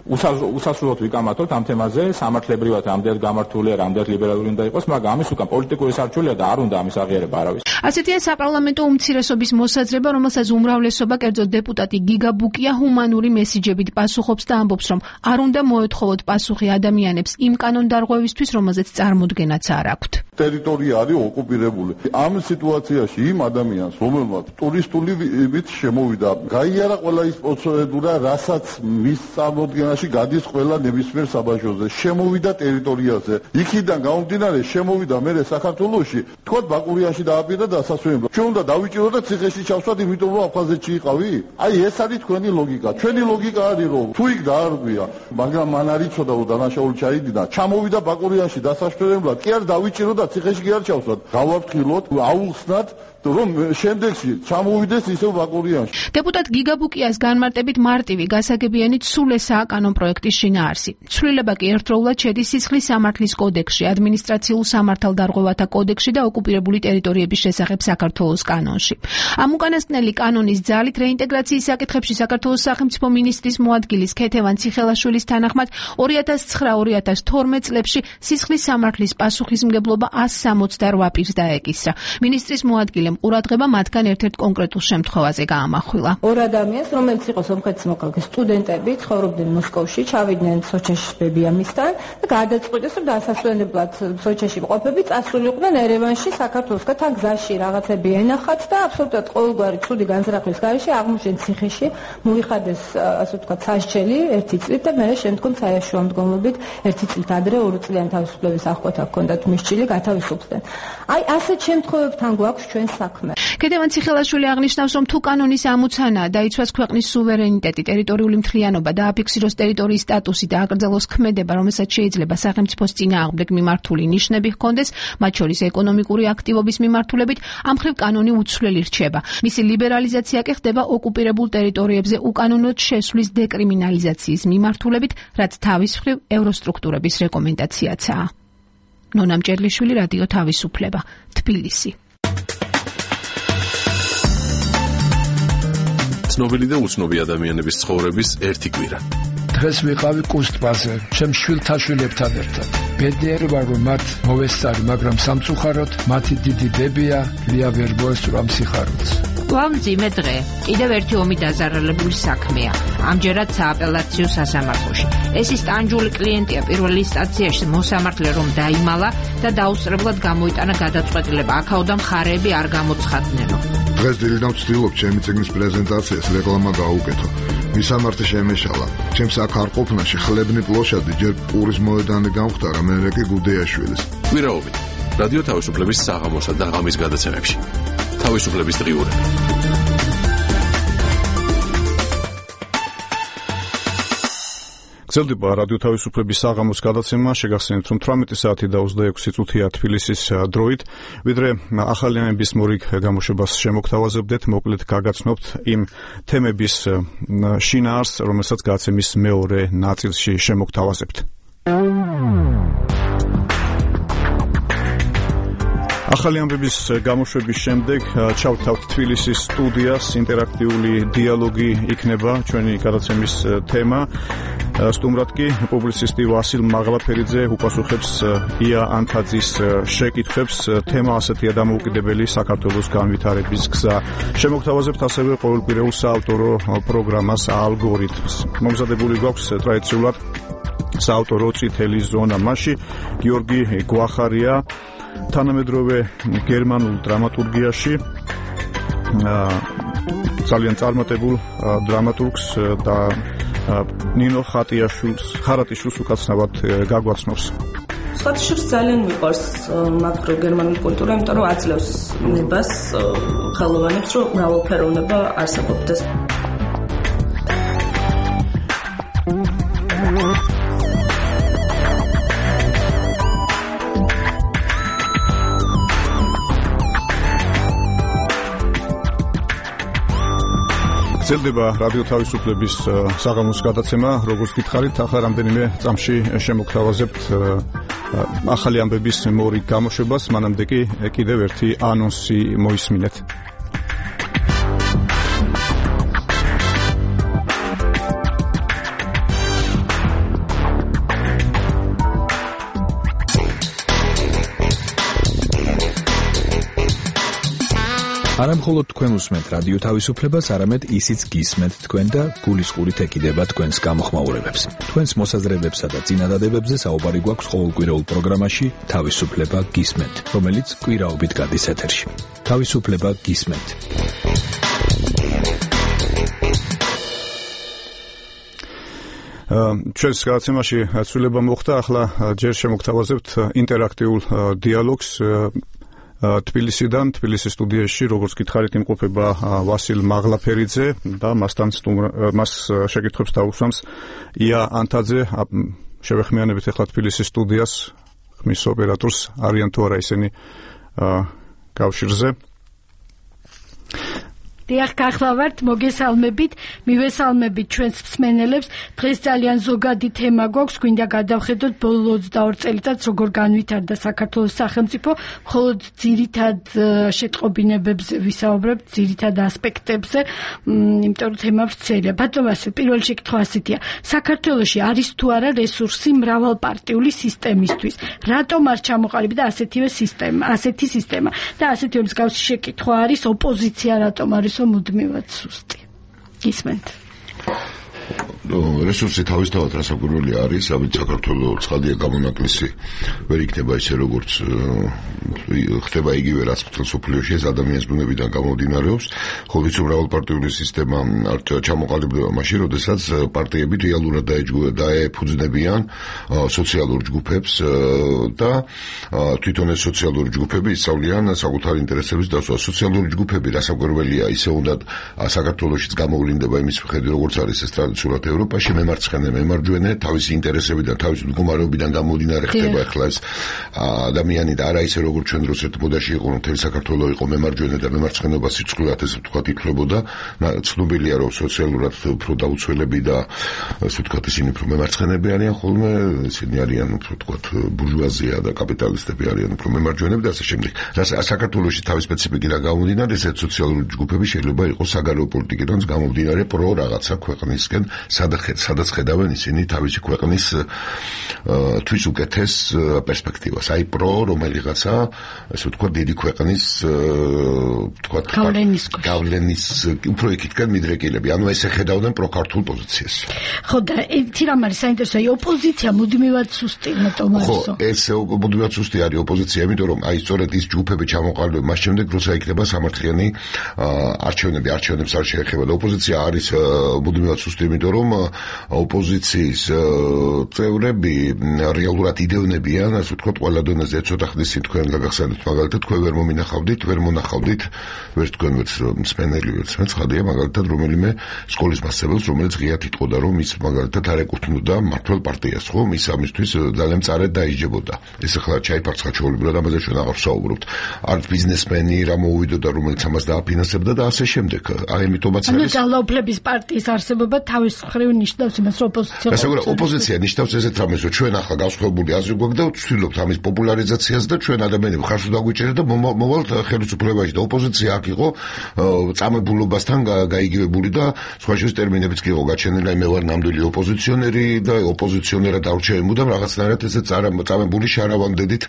უსასრულოდ ვიკამათოთ ამ თემაზე, სამართლებრივად რამდენად გამართულია, რამდენად ლიბერალური უნდა იყოს, მაგრამ ამის უკან პოლიტიკური სარჩელია და არ უნდა ამის აღიარება არავის. ასეთია საპარლამენტო უმცირესობის მოსაზრება, რომელსაც უმრავლესობა, კერძოდ დეპუტატი გიგა ბუკია ჰუმანური მესიჯებით პასუხობს და ამბობს, რომ არ უნდა მოეთხოვოთ პასუხი ადამიანებს იმ კანონდარღვევისთვის, რომელზეც წარმოდგენაც არ აქვთ. ტერიტორია არის ოკუპირებული. ამ სიტუაციაში იმ ადამიანს, რომელმაც ტურისტული ვიზით შემოვიდა, გაიარა ყველა ის პროცედურა, რასაც მის წარმოდგენაში გადის ყველა ნებისმიერ საბაჟოზე, შემოვიდა ტერიტორიაზე. იქიდან გამომდინარე შემოვიდა მერე საქართველოში, თქვათ ბაკურიანში დააპირდა დასასვენებლად. ჩვენ უნდა დავიჭიროთ და ციხეში ჩავსვათ, იმიტომ რომ აფხაზეთში იყავი? აი ეს არის თქვენი ლოგიკა. ჩვენი ლოგიკა არის რომ თუ იქ დაარღვია, მაგრამ მან არ იცოდა რომ დანაშაული ჩაიდიდა, ჩამოვიდა ბაკურიანში დასასვენებლად, კი არ დავიჭიროთ და ციხეში კი არ ჩავსვათ. გავავთქილოთ, აუხსნათ რომ შემდეგში ჩამოვიდეს ისევ ბაკურიანში. დეპუტატ გიგა ბუკიას განმარტებით მარტივი გასაგებიანით სულ ესაა კანონპროექტის შინაარსი. ცვლილება კი ერთდროულად შედის სისხლის სამართლის კოდექსში, ადმინისტრაციულ სამართალდარღვევათა კოდექსში და ოკუპირებული ტერიტორიების შესახებ საქართველოს კანონში. ამ უკანასკნელი კანონის ძალით რეინტეგრაციის საკითხებში საქართველოს სახელმწიფო მინისტრის მოადგილის ქეთევან ციხელაშვილის თანახმად 2009-2012 წლებში სისხლის სამართლის პასუხისმგებლობა 168 პირს დაეკისრა. მინისტრის მოადგილე მისცემ ყურადღება მათგან ერთ-ერთ კონკრეტულ შემთხვევაზე გაამახვილა. ორ ადამიანს, რომელიც იყო სომხეთის მოქალაქე სტუდენტები, ცხოვრობდნენ მოსკოვში, ჩავიდნენ სოჩაში ბებიამისთან და გადაწყვიტეს, რომ დასასვენებლად სოჩაში მყოფები წასულიყვნენ ერევანში, საქართველოსკენ თან გზაში რაღაცები ენახათ და აბსოლუტურად ყოველგვარი ცუდი განზრახვის გარეშე აღმოჩნდნენ ციხეში, მოიხადეს, ასე ვთქვათ, სასჯელი 1 წლით და მერე შემდგომ საიაშუა მდგომლობით 1 წლით ადრე 2 წლიანი თავისუფლების აღკვეთა ჰქონდათ მისჭილი, გათავისუფლდნენ. აი ასეთ შემთხვევებთან გვაქვს ჩვენ საქმე. ქედევან ციხელაშვილი აღნიშნავს, რომ თუ კანონის ამოცანა დაიცვას ქვეყნის სუვერენიტეტი, ტერიტორიული მთლიანობა და აფიქსიროს ტერიტორიის სტატუსი და აკრძალოს ქმედება, რომელსაც შეიძლება სახელმწიფოს წინააღმდეგ მიმართული ნიშნები ჰქონდეს, მათ შორის ეკონომიკური აქტივობის მიმართულებით, ამ მხრივ კანონი უცვლელი რჩება. მისი ლიბერალიზაცია კი ხდება ოკუპირებულ ტერიტორიებზე უკანონოდ შესვლის დეკრიმინალიზაციის მიმართულებით, რაც თავის მხრივ ევროსტრუქტურების რეკომენდაციაცაა. ნონა მჭედლიშვილი, რადიო თავისუფლება, თბილისი. ცნობილი და უცნობი ადამიანების ცხოვრების ერთი კვირა. დღეს ვიყავი კუსტბაზე, ჩემ შვილთაშვილებთან ერთად. ბედნიერი ვარ, რომ მათ მოვესწარი, მაგრამ სამწუხაროდ მათი დიდი დებია ლია ვერ მოესწრო სიხარულს. ვამძიმე დღე, კიდევ ერთი ომი დაზარალებული საქმეა. ამჯერად სააპელაციო სასამართლოში. ეს ის ტანჯული კლიენტია პირველ ინსტანციაში მოსამართლე რომ დაიმალა და დაუსწრებლად გამოიტანა გადაწყვეტილება. აქაოდან მხარეები არ გამოცხადნენო. დღეს დილიდან ვცდილობ ჩემი წიგნის პრეზენტაციას რეკლამა გაუკეთო. მისამართი შემეშალა. ჩემს აქ არ ყოფნაში ხლებნი პლოშადი ჯერ პურის მოედანი გამختარა, მერე კი გუდეაშვილის. კვირაობით რადიო თავისუფლების საღამოსა და ღამის გადაცემებში. თავისუფლების დღიურები. გრძელდება რადიო თავისუფლების საღამოს გადაცემა. შეგახსენებთ, რომ 18 საათი და 26 წუთია თბილისის დროით, ვიდრე ახალიანების მორიგ გამოშვებას შემოგთავაზებდეთ, მოკლედ გაგაცნობთ იმ თემების შინაარსს, რომელსაც გადაცემის მეორე ნაწილში შემოგთავაზებთ. ახალი ამბების გამოშვების შემდეგ ჩავთავთ თბილისის სტუდიას. ინტერაქტიული დიალოგი იქნება ჩვენი გადაცემის თემა. სტუმრად კი პუბლიცისტი ვასილ მაღლაფერიძე უპასუხებს ია ანთაძის შეკითხვებს. თემა ასეთია: დამოუკიდებელი საქართველოს განვითარების გზა. შემოგთავაზებთ ასევე ყოველკვირეულ საავტორო პროგრამას ალგორითმს. მომზადებული გვაქვს ტრადიციულად საავტორო წითელი ზონა. მასში გიორგი გვახარია თანამედროვე გერმანულ დრამატურგიაში ძალიან წარმატებულ დრამატურგს და ნინო ხარატიშვილს უკაცრავად გაგვაცნობს. სხვადასხვა ძალიან მიყვარს მაკრო გერმანული კულტურა, იმიტომ რომ აძლევს ნებას ხელოვანებს, რომ მრავალფეროვნება არსებობდეს. გრძელდება რადიო თავისუფლების საღამოს გადაცემა. როგორც გითხარით, ახლა რამდენიმე წამში შემოგთავაზებთ ახალი ამბების მორიგ გამოშვებას. მანამდე კი კიდევ ერთი ანონსი მოისმინეთ. არა მხოლოდ თქვენ უსმენთ რადიო თავისუფლებას, არამედ ისიც გისმენთ თქვენ და გულისყურით ეკიდება თქვენს გამოხმაურებებს. თქვენს მოსაზრებებსა და წინადადებებზე საუბარი გვაქვს ყოველკვირეულ პროგრამაში თავისუფლება გისმენთ, რომელიც კვირაობით გადის ეთერში. თავისუფლება გისმენთ. ჩვენს გადაცემაში ცვლილება მოხდა, ახლა ჯერ შემოგთავაზებთ ინტერაქტიულ დიალოგს. თბილისის სტუდიაში, როგორც გითხარით, იმყოფება ვასილ მაღლაფერიძე და მას შეკითხვებს დაუსვამს ია ანთაძე. შევეხმიანებით ახლა თბილისის სტუდიას, ხმის ოპერატორს, არიან თუ არა ისინი კავშირზე. დიახ, გახლავართ, მოგესალმებით, მივესალმებით ჩვენს მსმენელებს. დღეს ძალიან ზოგადი თემა გვაქვს, გვინდა გადავხედოთ ბოლო 22 წელიწადს როგორ განვითარდა საქართველოს სახელმწიფო, მხოლოდ ძირითად შეტყობინებებზე ვისაუბრებთ, ძირითად ასპექტებზე, იმიტომ რომ თემა ვრცელია. ბატონო ვასილ, პირველი შეკითხვა ასეთია. საქართველოში არის თუ არა რესურსი მრავალპარტიული სისტემისთვის? რატომ არ ჩამოყალიბდა ასეთი სისტემა? და ასეთი მსგავსი შეკითხვა არის, ოპოზიცია რატომ არისო მუდმივად სუსტი? გისმენთ. რესურსი თავისთავად რასაკვირველი არის, ამით საქართველოს ცხადია გამონაკლისი ვერ იქნება ისე როგორც ხდება იგივე რაც მსოფლიოში ეს ადამიანის ბუნებიდან გამომდინარეობს. ხო ვიცი, მრავალპარტიული სისტემა არ ჩამოყალიბდება მაშინ, როდესაც პარტიები რეალურად დაეფუძნებიან სოციალურ ჯგუფებს და თვითონ ეს სოციალური ჯგუფები ისწავლიან საკუთარ ინტერესების დასვას. სოციალური ჯგუფები რასაკვირველია, ისე უნდა საქართველოშიც გამოვლინდება იმის მიხედვით, როგორც არის ეს ტრადიციულად ევროპაში, მემარცხენე, მემარჯვენე, თავისი ინტერესებიდან, თავისი მდგომარეობიდან გამომდინარე ხდება ახლა ეს ადამიანი და არა ისე როგორც ჩვენ დროს ერთ მოდაში იყო, მთელი საქართველო იყო მემარჯვენე და მემარცხენეობა სიწყვილად ესე ვთქვათ ითვლებოდა. ცნობილია რომ სოციალურად უფრო დაუცველები და ესე ვთქვათ ისინი უფრო მემარცხენეები არიან ხოლმე, ისინი არიან უფრო ვთქვათ ბურჟუაზია და კაპიტალისტები არიან უფრო მემარჯვენეები და ასე შემდეგ. საქართველოში თავის სპეციფიკიდან გამომდინარე ეს სოციალური ჯგუფები შეიძლება იყოს საგარეო პოლიტიკიდან გამომდინარე პრო რაღაცა ქვეყნისკენ, სადაც ხედავენ ისინი თავისი ქვეყნის თვის უკეთეს პერსპექტივას. აი პრო რომელიღაცა, ასე ვთქვათ, დიდი ქვეყნის ვთქვათ გავლენის უფრო იქითკენ მიდრეკილები. ანუ ესე ხედავდნენ პროქართულ პოზიციას. ხო, და ერთი რამ არის საინტერესო, ოპოზიცია მუდმივად სუსტი რატომ არისო? ხო, ეს მუდმივად სუსტი არის ოპოზიცია, იმიტომ რომ აი სწორედ ის ჯგუფები ჩამოყალიბება მას შემდეგ, როცა იქნება სამართლიანი არჩევნებს არ შეეხება და ოპოზიცია არის მუდმივად სუსტი, იმიტომ რომ ოპოზიციის წევრები რეალურად იდევნებიან, ასე ვთქვათ, ყველა დონეზე ცოტა ხნის თქვენ გაგახსენებთ, მაგალითად, თქვენ ვერ მომინახავდით, ვერ მონახავდით, ვერც თქვენ ვერც მსმენელი, ვერც მე ცხადია, მაგალითად, რომელიმე სკოლის მასწავლებელს, რომელიც ღიად იტყოდა, რომ ის მაგალითად არ ეკუთვნოდა მმართველ პარტიას, ხო, ის ამისთვის ძალიან მწარედ დაიჯებოდა. ეს ახლა ჩაიფარცხა ჩვეულებრივად, ამაზე ჩვენ აღარ ვსაუბრობთ. არც ბიზნესმენი რა მოუვიდოდა, რომელიც ამას დააფინანსებდა და ასე შემდეგ. აი, ამიტომაც არის. ანუ ძალაუფლების პარტიის არსებობა თავის მხრივ ნიშნავს იმას, რომ ოპოზიცია ნიშნავს ესეთ რამეს, რომ ჩვენ ახლა გავსხვებული აზრი გვაქვს და ვცდილობთ ამის პოპულარიზაციას და ჩვენ ადამიანები ხარს დაგვიჭერეთ და მოვალთ ხელისუფლებაში და ოპოზიცია აქ იყო წამებულობასთან გაიგივებული და სხვა შორის ტერმინებიც კი იყო გაჩენილი, მე ვარ ნამდვილი ოპოზიციონერი და ოპოზიციონერად არჩევი მუდამ რაღაცნაირად ესე წამებული შარავანდედით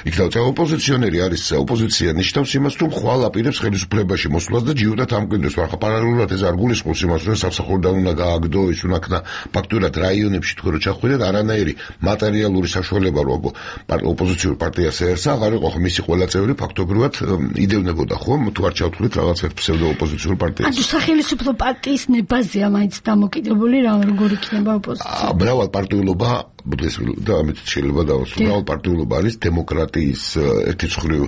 იქნება. ოპოზიციონერი არის, ოპოზიცია ნიშნავს იმას, რომ ხვალ აპირებს ხელისუფლებაში მოსვლას და ჯიუდად ამკვიდრებს, მაგრამ პარალელურად ეს არ გულისხმობს იმას, რომ სამსახურიდან უნდა გააგდო, ის უნდა ქნა ფაქტურად რაიონებში თქვენ რო ჩახვიდეთ, არანაირი მატერიალური საშუალება რომ ოპოზიციურ პარტიას ერსა აღარ იყო, მისი ყველა წევრი ფაქტობრივად იდევნებოდა, ხო, თუ არ ჩავთვლით რაღაც ერთ ფსევდო ოპოზიციურ პარტიას. ანუ სახელმწიფო პარტიის ნებაზეა მაინც დამოკიდებული რა როგორ იქნება ოპოზიცია. მრავალპარტიულობა და ამით შეიძლება დავასრულო. მრავალპარტიულობა არის დემოკრატიის ერთი მხრივ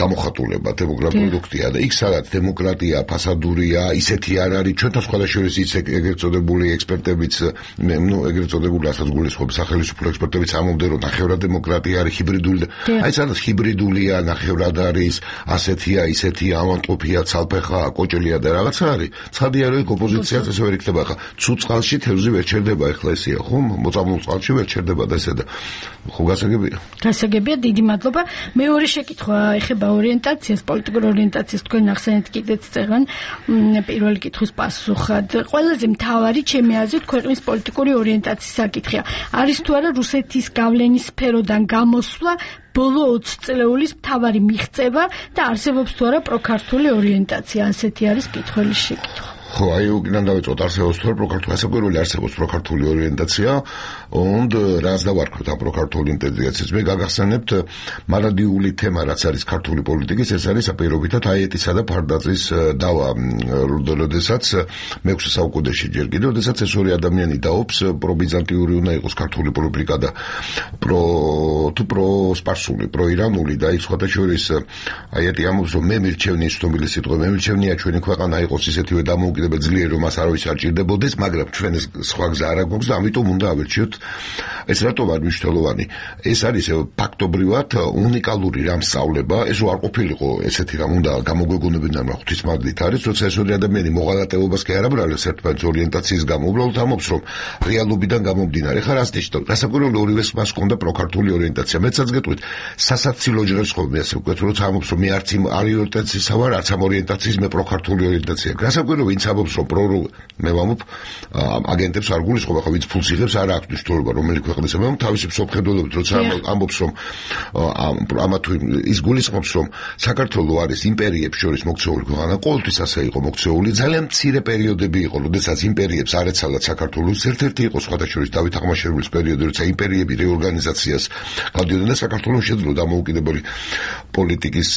გამოხატულება, დემოკრატია და იქ სადაც დემოკრატია ფასადურია, ისეთი არ არის, ჩვენთან სხვადასხვა ის ეგრეთ წოდებული ექსპერტებიც, ეგრეთ წოდებული ასაც გულისხმობს სახელმწიფო ექსპერტებიც ამბობდნენ, რომ ნახევრად დემოკრატია არის ჰიბრიდული. აი სადაც ჰიბრიდულია, ნახევრად არის, ასეთია, ისეთია, ავანტყოფია, ცალფეხა, კოჭელია და რაღაცა არის. ცხადია, რომ ოპოზიციაც ესე ვერ იქნება. ახლა ცუდ წყალში თევზი ვერ ჩერდება, ახლა ესეა, ხო? მოწამულ წყალში ვერ ჩერდება და ესე და ხო გასაგებია. გასაგებია, დიდი მადლობა. მეორე შეკითხვა ეხება ორიენტაციას, პოლიტიკურ ორიენტაციას. თქვენ ახსენეთ კიდეც წეგან პირველი კითხვის პასუხად. ყველაზე მთავარი ჩემი აზრით ქვეყნის პოლიტიკური ორიენტაციის საკითხია. არის თუ არა რუსეთის გავლენის სფეროდან გამოსვლა ბოლო 20 წლეულის მთავარი მიღწევა და არსებობს თუ არა პროქართული ორიენტაცია? ასეთი არის კითხველი შეკითხვა. ხო, აი უკან დავიწყოთ არსებობს თუ არა პროქართული, საკურველი არსებობს პროქართული ორიენტაცია, und რას დავარქვით ამ პროქართული ორიენტაციას? მე გაგახსენებთ მარადიული თემა, რაც არის ქართული პოლიტიკის, ეს არის აპირობითად აიეტისა და ფარდაძის დავა, როდესაც მე-6 საუკუნეში ჯერ კიდევ, როდესაც ეს ორი ადამიანი დაობს, პრობიზანტიური უნდა იყოს ქართული პოლიტიკა და პროსპარსული, პროირანული და ის სხვათა შორის აიეტი ამბობს, რომ მე მირჩევნია ცნობილი სიტყვა, მე მირჩევნია ჩვენი ქვეყანა იყოს ისეთივე დამოუკიდებელი დამოუკიდებელ ძლიერ რომ მას არავის არ ჭირდებოდეს, მაგრამ ჩვენ ეს სხვა გზა არ აქვს და ამიტომ უნდა ავერჩიოთ. ეს რატომ არ მნიშვნელოვანი? ეს არის ფაქტობრივად უნიკალური რამ სწავლება, ეს არ ყოფილიყო ესეთი რამ უნდა გამოგვეგონებინა ღვთისმადლით არის, როცა ეს ორი ადამიანი მოღალატეობას კი არ აბრალებს ერთმანეთს ორიენტაციის გამო, უბრალოდ ამობს რომ რეალობიდან გამომდინარე ხარ ასე ნიშნავს. გასაკვირველი ორივეს მას ჰქონდა პროქართული ორიენტაცია. მეცაც გეტყვით, სასაცილო ჯერს ხოლმე ასე ვქვეთ, როცა ამობს რომ მე არც იმ ორიენტაციისა ვარ, არც ამ ორიენტაციის მე პროქართული ორიენტაცია. გასაკვირველი ვინც ამობს რომ მე ვამბობ აგენტებს არ გულისხმობ, ახლა ვინც ფულს იღებს არ აქვს მნიშვნელობა რომელი ქვეყნის ამბობ თავისი მსოფლმხედველობით, როცა ამბობს რომ ამა თუ ის გულისხმობს რომ საქართველოს არის იმპერიებს შორის მოქცეული ქვეყანა, ყოველთვის ასე იყო მოქცეული, ძალიან მცირე პერიოდები იყო, როდესაც იმპერიებს არ ეცალათ საქართველოს, ერთ-ერთი იყო სხვათა შორის დავით აღმაშენებლის პერიოდი, როცა იმპერიები რეორგანიზაციას გავდიოდნენ და საქართველოს შეძლო დამოუკიდებელი პოლიტიკის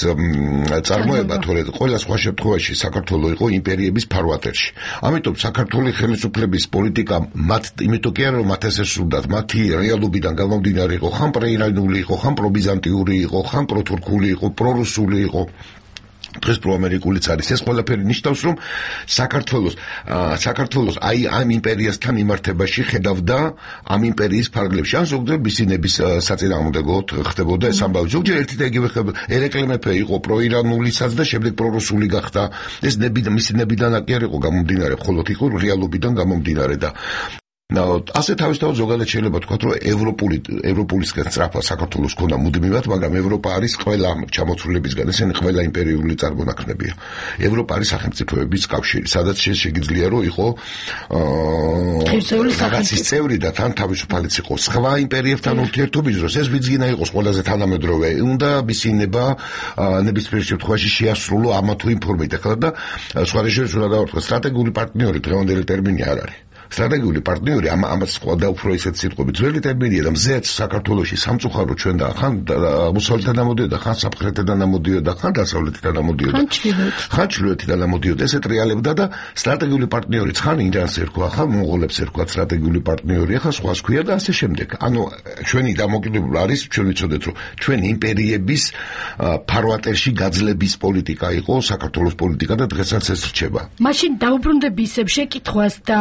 წარმოება, თორედ ყველა სხვა შემთხვევაში საქართველოს იყო იმპერიების ფარვატერში. ამიტომ საქართველოს ხელისუფლების პოლიტიკა მათ იმიტომ კი არა რომ მათ ესე სურდათ, მათი რეალობიდან გამომდინარე იყო, ხან პროირანული იყო, ხან პრობიზანტიური იყო, ხან პროთურქული იყო, პრორუსული იყო. დღეს პროამერიკულიც არის. ეს ყველაფერი ნიშნავს, რომ საქართველოს აი ამ იმპერიასთან იმართებაში ხედავდა ამ იმპერიის ფარგლებში. ან ზოგჯერ ბისინების საწინააღმდეგოდ ხდებოდა ეს ამბავი. ზოგჯერ ერთი და იგივე ერეკლე მეფე იყო პროირანულისაც და შემდეგ პრორუსული გახდა. ეს მისი ნებიდან კი არ იყო გამომდინარე, მხოლოდ იყო რეალობიდან გამომდინარე და ასე თავისთავად ზოგადად შეიძლება თქვა, რომ ევროპულისგან სწრაფად საქართველოს ქონდა მუდმივად, მაგრამ ევროპა არის ყველა ჩამოცვლილებისგან, ესენი ყველა იმპერიული წარმონაქმნებია. ევროპა არის სახელმწიფოების კავშირი, სადაც შეგიძლია რომ იყო რაღაცის წევრი და თან თავისუფალიც იყოს. სხვა იმპერიებთან ურთიერთობის დროს ეს ვიძინა იყოს ყველაზე თანამედროვე, უნდა მისინება ნებისმიერ შემთხვევაში შეასრულო ამა თუ იმ ფორმით. ახლა და სხვა რეჟიმს უნდა გავარკვევ, სტრატეგიული პარტნიორი დღევანდელი ტერმინი არ არის. სტრატეგიული პარტნიორი ამას სხვა და უფრო ისეთ სიტყვებით ძველი ტერმინია და მზეც საქართველოში სამწუხარო ჩვენ და ხან აღმოსავლეთიდან ამოდიოდა, ხან სამხრეთიდან ამოდიოდა, ხან დასავლეთიდან ამოდიოდა, ხან ჩრდილოეთიდან ამოდიოდა, ესეთ რეალებდა და სტრატეგიული პარტნიორი ხან ირანს ერქვა, ხან მონღოლებს ერქვა სტრატეგიული პარტნიორი, ახლა სხვას ქვია და ასე შემდეგ. ანუ ჩვენი დამოკიდებულება არის, ჩვენ ვიცოდეთ რომ ჩვენ იმპერიების ფარვატერში გაძლების პოლიტიკა იყო საქართველოს პოლიტიკა და დღესაც ეს რჩება. მაშინ დაუბრუნდები ისევ შეკითხვას და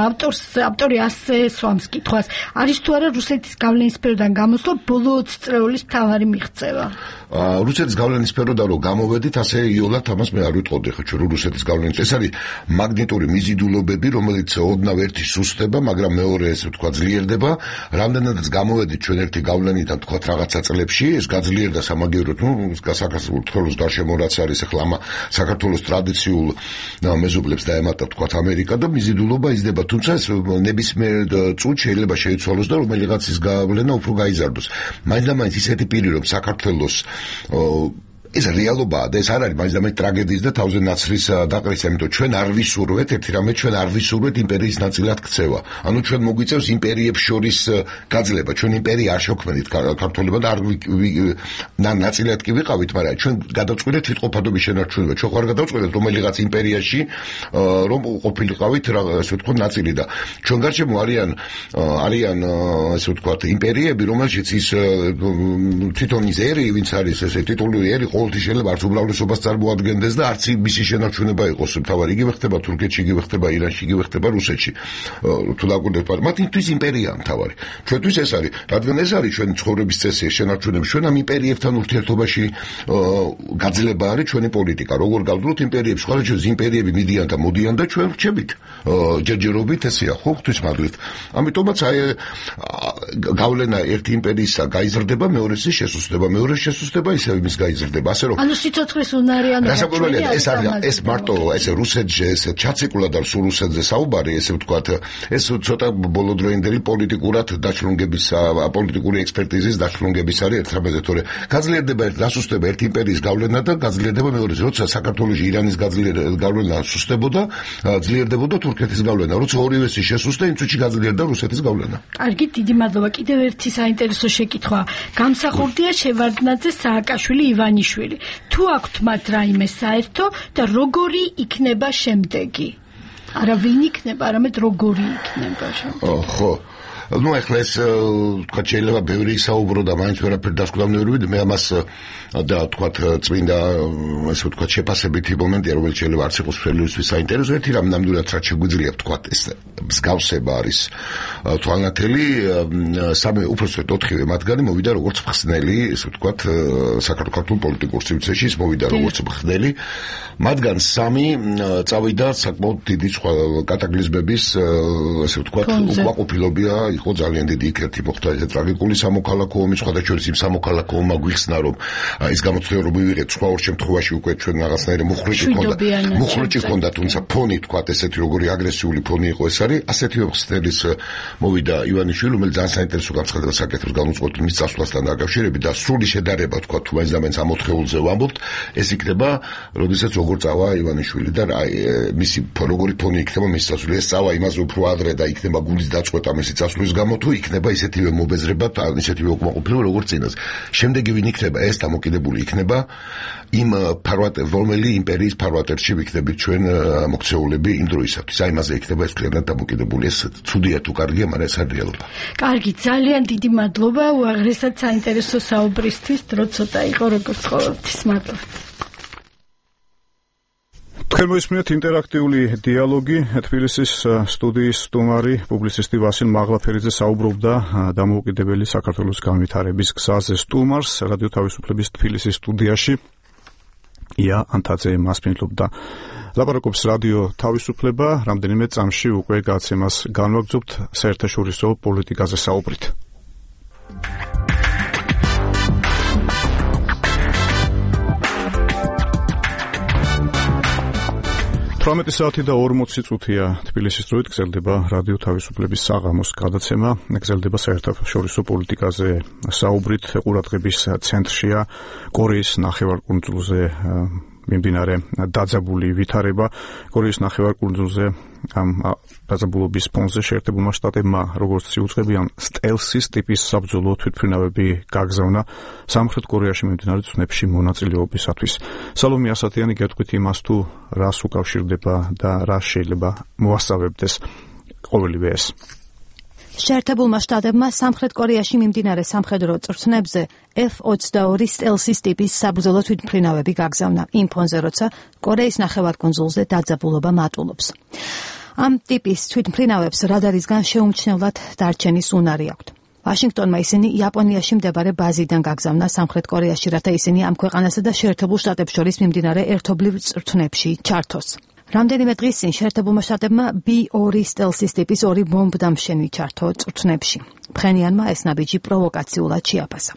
ავტორი ასე სვამს კითხვას, არის თუ არა რუსეთის გავლენის სფეროდან გამოსვლა ბოლო 20 წლეულის მთავარი მიღწევა? რუსეთის გავლენის სფეროდან რომ გამოვედით, ასე იოლად ამას მე არ ვიტყოდი, ხო ჩვენ რუსეთის გავლენის. ეს არის მაგნიტური მიზიდულობები, რომელიც ოდნავ ერთი სუსტდება, მაგრამ მეორე ესე ვთქვა ძლიერდება. რამდენადაც გამოვედით ჩვენ ერთი გავლენიდან თქვა რაღაცა წლებში, ეს გაძლიერდა სამაგიეროდ, საქართველოს გარშემო რაც არის ახლა ამ საქართველოს ტრადიციულ მეზობლებს დაემატა თქვა ამერიკა და მიზიდულობა იზრდება, თუმცა ეს ნებისმიერ წუთს შეიძლება შეიცვალოს და რომელიღაცის გავლენა უფრო გაიზარდოს. მაინც და მაინც ისეთი პირი რომ საქართველოს ეს რეალობაა და ეს არ არის მაინც და მაინც ტრაგედიის და თავზე ნაცრის დაყრისა, იმიტომ ჩვენ არ ვისურვეთ ერთი რამე, ჩვენ არ ვისურვეთ იმპერიის ნაწილად ქცევა. ანუ ჩვენ მოგვიწევს იმპერიებს შორის გაძლება. ჩვენ იმპერია არ შევქმნით ქართველებმა და არ ნაწილად კი ვიყავით, მაგრამ ჩვენ გადავწყვიტეთ თვითყოფადობის შენარჩუნება. ჩვენ ხარ გადავწყვიტეთ რომელიღაც იმპერიაში რომ ყოფილიყავით ასე ვთქვათ ნაწილი და ჩვენ გარშემო არიან ასე ვთქვათ იმპერიები, რომელშიც ის თვითონ ის ერი, ვინც არის ესე ტიტულური ერი შეიძლება არც უმრავლესობას წარმოადგენდეს და არც მისი შენარჩუნება იყოს მთავარი. იგივე ხდება თურქეთში, იგივე ხდება ირანში, იგივე ხდება რუსეთში. თუ დაგვირდება, მათთვის იმპერია მთავარი. ჩვენთვის ეს არის, რადგან ეს არის ჩვენი ცხოვრების წესი, შენარჩუნება. ჩვენ ამ იმპერიებთან ურთიერთობაში გაძლება არის ჩვენი პოლიტიკა. როგორ გავდროთ იმპერიებს, ყოველთვის იმპერიები მიდიან და მოდიან და ჩვენ ვრჩებით ჯერჯერობით, ესეა ხო ღვთისმადლით. ამიტომაც აი გავლენა ერთი იმპერიისა გაიზრდება, მეორეს შესუსტება, მეორე შესუსტება ისევ იმის გაიზრდება. ანუ სიცოცხლის უნარიანობა ეს მარტო ეს რუსეთში ეს ჩაციკულად არ სულ რუსეთზე საუბარი, ესე ვთქვათ, ეს ცოტა ბოლოდროინდელი პოლიტიკურად დაჩლუნგების პოლიტიკური ექსპერტიზის დაჩლუნგების არის ერთმანეთზე, თორე გაძლიერდება დასუსტება ერთი იმპერიის გავლენა და გაძლიერდება მეორე. როცა საქართველოში ირანის გავლენა სუსტებოდა, ძლიერდებოდა თურქეთის გავლენა. როცა ორივესი შესუსტდა, იმ წუთში გაძლიერდა რუსეთის გავლენა. კარგი, დიდი მადლობა. კიდევ ერთი საინტერესო შეკითხვა. გამსახურდია შევარდნაძე, სააკაშვილი, ივანიშვილი. თუ აქვთ მათ რაიმე საერთო და როგორი იქნება შემდეგი? არა ვინ იქნება, არამედ როგორი იქნება შემდეგი. ხო. ну ეხლა ეს თქვა შეიძლება ბევრი საუბრო და მაინც ვერაფერი დასკვნამდე მე ამას და თქვა წმინდა ესე ვთქვა შეფასებითი მომენტია რომელიც შეიძლება არც იყოს ყველისთვის საინტერესო ერთი რამ ნამდვილად რაც შეგვიძლია ვთქვა ეს მსგავსება არის თვალნათელი სამე უბრალოდ 4-ვე მათგანი მოვიდა როგორც მხსნელი ესე ვთქვა საქართველოს პოლიტიკურ სივრცეში მოვიდა როგორც მხსნელი მათგან 3 წავიდა საკმაოდ დიდი კატაკლიზმების ასე ვთქვათ უკმაყოფილობია იყო ძალიან დიდი იქ-ერთი მოხდა ეს ტრაგიკული სამოქალაქო ომი სხვადასხვა იმ სამოქალაქო ომმა გვიხსნა რომ ის გამოცდილება რომ მივიღეთ სხვა ორ შემთხვევაში უკვე ჩვენ რაღაცნაირი მუხრიჭი ჰქონდა თუმცა ფონი ვთქვათ ესეთი როგორი აგრესიული ფონი იყო ეს არის ასეთივე მხსნელის მოვიდა ივანიშვილი რომელიც ძალიან საინტერესო განცხადებას აკეთებს განუწყვეტ მის წასვლასთან დაკავშირებით და სრული შედარება ვთქვათ თუ მაინც და მაინც ამ 4-ეულზე ვამბობთ ეს იქნება როდესაც როგორ წავა ივანიშვილი და მისი როგორი ფონი იქნება მის წასვლას ეს წავა იმაზე უფრო ადრე და იქნება გულის დაწყვეტა მისი წასვლის გამო თუ იქნება ისეთივე მობეზრება და ისეთივე უკმაყოფილება როგორც წინას შემდეგი ვინ იქნება ეს დამოკიდებული იქნება იმ ფარვატერ რომელი იმპერიის ფარვატერში ვიქნებით ჩვენ მოქცეულები იმ დროისათვის აი იმაზე იქნება ეს კლიანად დამოკიდებული ეს ცუდია თუ კარგია მაგრამ ეს არის რეალობა კარგი ძალიან დიდი მადლობა უაღრესად საინტერესო საუბრისთვის დრო ცოტა იყო როგორც ყოველთვის მადლობა თქვენ მოისმინეთ ინტერაქტიული დიალოგი თბილისის სტუდიის სტუმარი პუბლიცისტი ვასილ მაღლაფერიძე საუბრობდა დამოუკიდებელი საქართველოს განვითარების გზაზე სტუმარს რადიო თავისუფლების თბილისის სტუდიაში ია ანთაძე მასპინძლობდა ლაპარაკობს რადიო თავისუფლება რამდენიმე წამში უკვე გაცემას განვაგრძობთ საერთაშორისო პოლიტიკაზე საუბრით 18 საათი და 40 წუთია თბილისის დროით გრძელდება რადიო თავისუფლების საღამოს გადაცემა გრძელდება საერთაშორისო პოლიტიკაზე საუბრით ყურადღების ცენტრშია კორეის ნახევარკუნძულზე მიმდინარე დაძაბული ვითარება კორეის ნახევარკუნძულზე ამ დაძაბულობის ფონზე შეერთებულმა შტატებმა როგორც იუწყებიან სტელსის ტიპის საბრძოლო თვითმფრინავები გაგზავნა სამხრეთ კორეაში მიმდინარე ცნებში მონაწილეობისათვის სალომე ასათიანი გეტყვით იმას თუ რას უკავშირდება და რა შეიძლება მოასწავებდეს ყოველივე ეს შეერთებულმა შტატებმა სამხრეთ კორეაში მიმდინარე სამხედრო წვრთნებზე F-22 სტელსის ტიპის საბრძოლო თვითმფრინავები გაგზავნა იმ ფონზე, როცა კორეის ნახევარკუნძულზე დაძაბულობა მატულობს. ამ ტიპის თვითმფრინავებს რადარისგან შეუმჩნევლად დარჩენის უნარი აქვთ. ვაშინგტონმა ისინი იაპონიაში მდებარე ბაზიდან გაგზავნა სამხრეთ კორეაში, რათა ისინი ამ ქვეყანასა და შეერთებულ შტატებს შორის მიმდინარე ერთობლივ წვრთნებში ჩართოს. რამდენიმე დღის წინ შეერთებულმა შტატებმა B-2 სტელსის ტიპის 2 ბომბდამშენი ჩართო წვრთნებში. ფხენიანმა ეს ნაბიჯი პროვოკაციულად შეაფასა.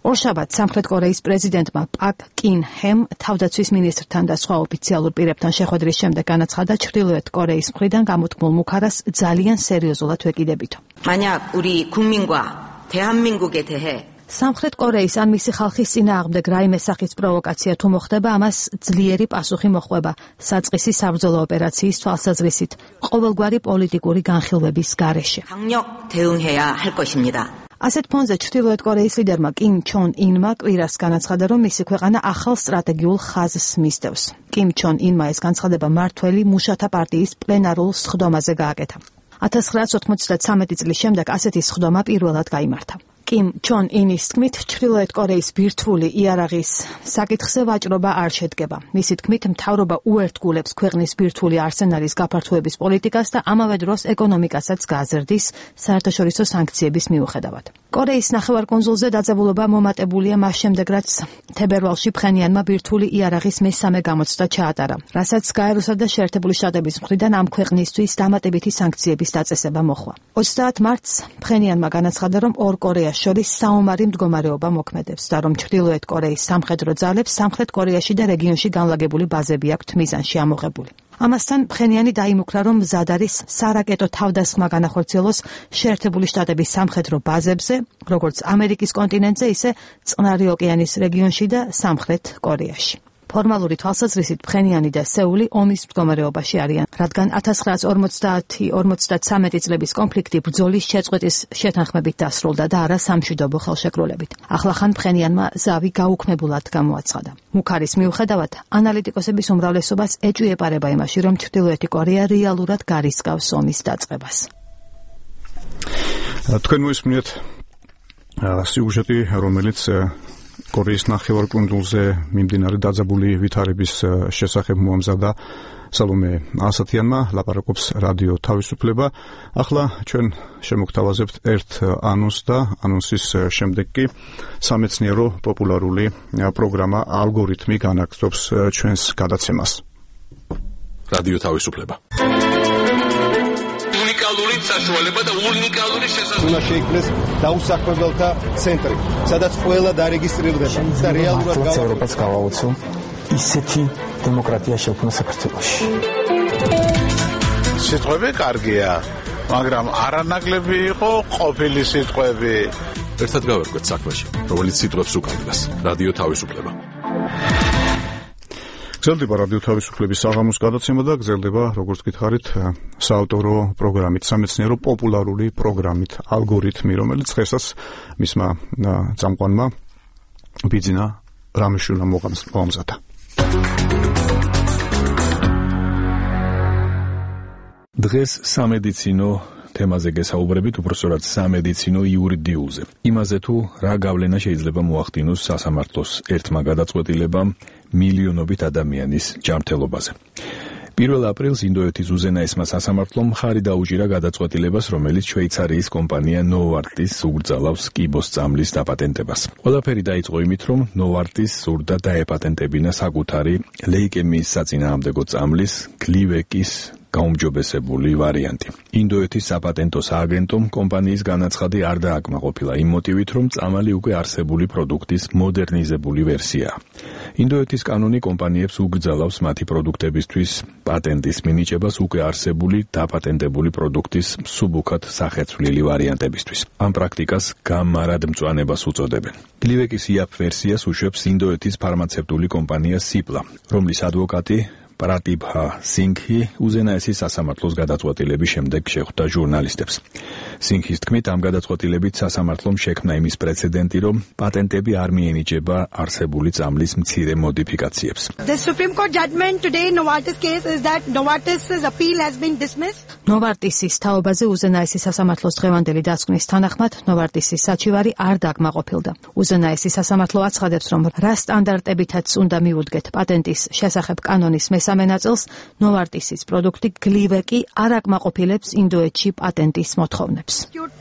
ორშაბათს სამხრეთ კორეის პრეზიდენტმა პაკ კინ ჰემ თავდაცვის მინისტრთან და სხვა ოფიციალურ პირებთან შეხვედრის შემდეგ განაცხადა ჩრდილოეთ კორეის მხრიდან გამოთქმულ მუქარას ძალიან სერიოზულად ვეკიდებითო. 만약 우리 국민과 대한민국에 대해 სამხრეთ კორეის ან მისი ხალხის წინააღმდეგ რაიმე სახის პროვოკაცია თუ მოხდება, ამას ძლიერი პასუხი მოჰყვება საწყისი საბრძოლო ოპერაციის თვალსაზრისით, ყოველგვარი პოლიტიკური განხილვების გარეშე. 강력 대응해야 할 것입니다. ასეთ ფონზე ჩრდილოეთ კორეის ლიდერმა კიმ ჩონ ინმა კვირას განაცხადა, რომ მისი ქვეყანა ახალ სტრატეგიულ ხაზს მისდევს. კიმ ჩონ ინმა ეს განცხადება მმართველი მუშათა პარტიის პლენარულ სხდომაზე გააკეთა. 1993 წლის შემდეგ ასეთი სხდომა პირველად გაიმართა. კიმ ჩონ ინის თქმით, ჩრდილოეთ კორეის ბირთვული იარაღის საკითხზე ვაჭრობა არ შედგება. მისი თქმით, მთავრობა უერთგულებს ქვეყნის ბირთვული არსენალის გაფართოების პოლიტიკას და ამავე დროს ეკონომიკასაც გააზრდის საერთაშორისო სანქციების მიუხედავად. კორეის ნახევარკუნძულზე დაძაბულობა მომატებულია მას შემდეგ, რაც თებერვალში ფხენიანმა ბირთვული იარაღის მესამე გამოცდა ჩაატარა, რასაც გაეროსა და შეერთებული შტატების მხრიდან ამ ქვეყნისთვის დამატებითი სანქციების დაწესება მოხდა. 30 მარტს ფხენიანმა განაცხადა, რომ ორ კორეას შორის საომარი მდგომარეობა მოქმედებს და რომ ჩრდილოეთ კორეის სამხედრო ძალებს სამხრეთ კორეაში და რეგიონში განლაგებული ბაზები აქვთ მიზანში ამოღებული. ამასთან ფხენიანი დაიმუქრა, რომ მზად არის სარაკეტო თავდასხმა განახორციელოს შეერთებული შტატების სამხედრო ბაზებზე, როგორც ამერიკის კონტინენტზე, ისე წყნარი ოკეანის რეგიონში და სამხრეთ კორეაში. ფორმალური თვალსაზრისით ფხენიანი და სეული ომის მდგომარეობაში არიან, რადგან 1950-53 წლების კონფლიქტი ბრძოლის შეწყვეტის შეთანხმებით დასრულდა და არა სამშვიდობო ხელშეკრულებით. ახლახან ფხენიანმა ზავი გაუქმებულად გამოაცხადა. მუქარის მიუხედავად, ანალიტიკოსების უმრავლესობას ეჭვი ეპარება იმაში, რომ ჩრდილოეთი კორეა რეალურად გარისკავს ომის დაწყებას. თქვენ მოისმინეთ სიუჟეტი, რომელიც კორეის ნახევარკუნძულზე მიმდინარე დაძაბული ვითარების შესახებ მოამზადა სალომე ასათიანმა, ლაპარაკობს რადიო თავისუფლება. ახლა ჩვენ შემოგთავაზებთ ერთ ანონსს და ანონსის შემდეგ კი სამეცნიერო პოპულარული პროგრამა ალგორითმი განაგრძობს ჩვენს გადაცემას. რადიო თავისუფლება. უნიკალური საშუალება და უნიკალური შესაძლებლობა. უნდა შეიქმნეს დაუსაქმებელთა ცენტრი, სადაც ყველა დარეგისტრირდება და რეალურად ევროპას გავაოცო ისეთი დემოკრატია შექმნა საქართველოში. სიტყვები კარგია, მაგრამ არანაკლები იყო ყოფილი სიტყვები. ერთად გავერკვეთ საქმეში, რომელიც სიტყვებს უკავშირდება. რადიო თავისუფლება. გრძელდება რადიო თავისუფლების საღამოს გადაცემა და გრძელდება, როგორც გითხარით, საავტორო პროგრამით, სამეცნიერო პოპულარული პროგრამით, ალგორითმი, რომელიც დღესაც მისმა წამყვანმა ბიძინა რამიშვილმა მოამზადა. დღეს სამედიცინო თემაზე გესაუბრებით, უბრალოდ სამედიცინო იურიდიულზე. იმაზე თუ რა გავლენა შეიძლება მოახდინოს სასამართლოს ერთმა გადაწყვეტილებამ მილიონობით ადამიანის ჯანმრთელობაზე. 1 აპრილს ინდოეთის უზენაესმა სასამართლომ მხარი დაუჭირა გადაწყვეტილებას, რომელიც შვეიცარიის კომპანია ნოვარტის უგრძალავს კიბოს წამლის დაპატენტებას. ყველაფერი დაიწყო იმით, რომ ნოვარტის სურდა დაეპატენტებინა საკუთარი ლეიკემიის საწინააღმდეგო წამლის გლივეკის გაუმჯობესებული ვარიანტი. ინდოეთის საპატენტო სააგენტომ კომპანიის განაცხადი არ დააკმაყოფილა იმ მოტივით, რომ წამალი უკვე არსებული პროდუქტის მოდერნიზებული ვერსიაა. ინდოეთის კანონი კომპანიებს უგრძალავს მათი პროდუქტებისთვის პატენტის მინიჭებას უკვე არსებული დაპატენტებული პროდუქტის მსუბუქად სახეცვლილი ვარიანტებისთვის. ამ პრაქტიკას გამარადმწვანებას უწოდებენ. გლივეკის იაფ ვერსიას უშვებს ინდოეთის ფარმაცევტული კომპანია სიპლა, რომლის ადვოკატი პრატიბჰა სინგჰი უზენაესი სასამართლოს გადაწყვეტილების შემდეგ შეხვდა ჟურნალისტებს. სინგჰის თქმით, ამ გადაწყვეტილებით სასამართლომ შექმნა იმის პრეცედენტი, რომ პატენტები არ მიენიჭება არსებული წამლის მცირე მოდიფიკაციებს. The Supreme Court judgment today in Novartis case is that Novartis's appeal has been dismissed. ნოვარტისის თაობაზე უზენაესი სასამართლოს დღევანდელი დასკვნის თანახმად ნოვარტისის საჩივარი არ დაგმაყოფილდა. უზენაესი სასამართლო აცხადებს, რომ რა სტანდარტებითაც უნდა მივუდგეთ პატენტის შესახებ კანონის მესამე ნაწილს, ნოვარტისის პროდუქტი გლივეკი არ აკმაყოფილებს ინდოეთში პატენტის მოთხოვნებს.